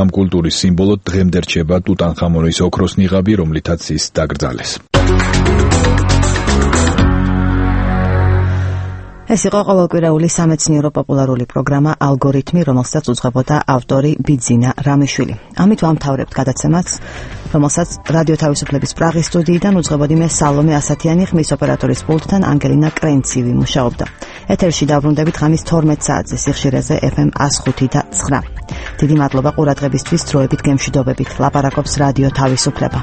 ამ კულტურის სიმბოლოდ დღემდე რჩება ტუტანხამონის ოქროს ნიღაბი, რომლითაც ის დაკრძალეს. ეს იყო ყოველკვირეული სამეცნიერო პოპულარული პროგრამა ალგორითმი, რომელსაც უძღვებოდა ავტორი ბიძინა რამიშვილი. ამით ვამთავრებთ გადაცემას, რომელსაც რადიო თავისუფლების პრაღის სტუდიიდან უძღვებოდი მე სალომე ასათიანი, ხმის ოპერატორის პულტთან ანგელინა კრენცივი მუშაობდა. ეთერში დაბრუნდებით ღამის 12 საათზე სიხშირეზე FM 105 და 9. დიდი მადლობა ყურადღებისთვის, დროებით გემშვიდობებით. ლაპარაკობს რადიო თავისუფლება.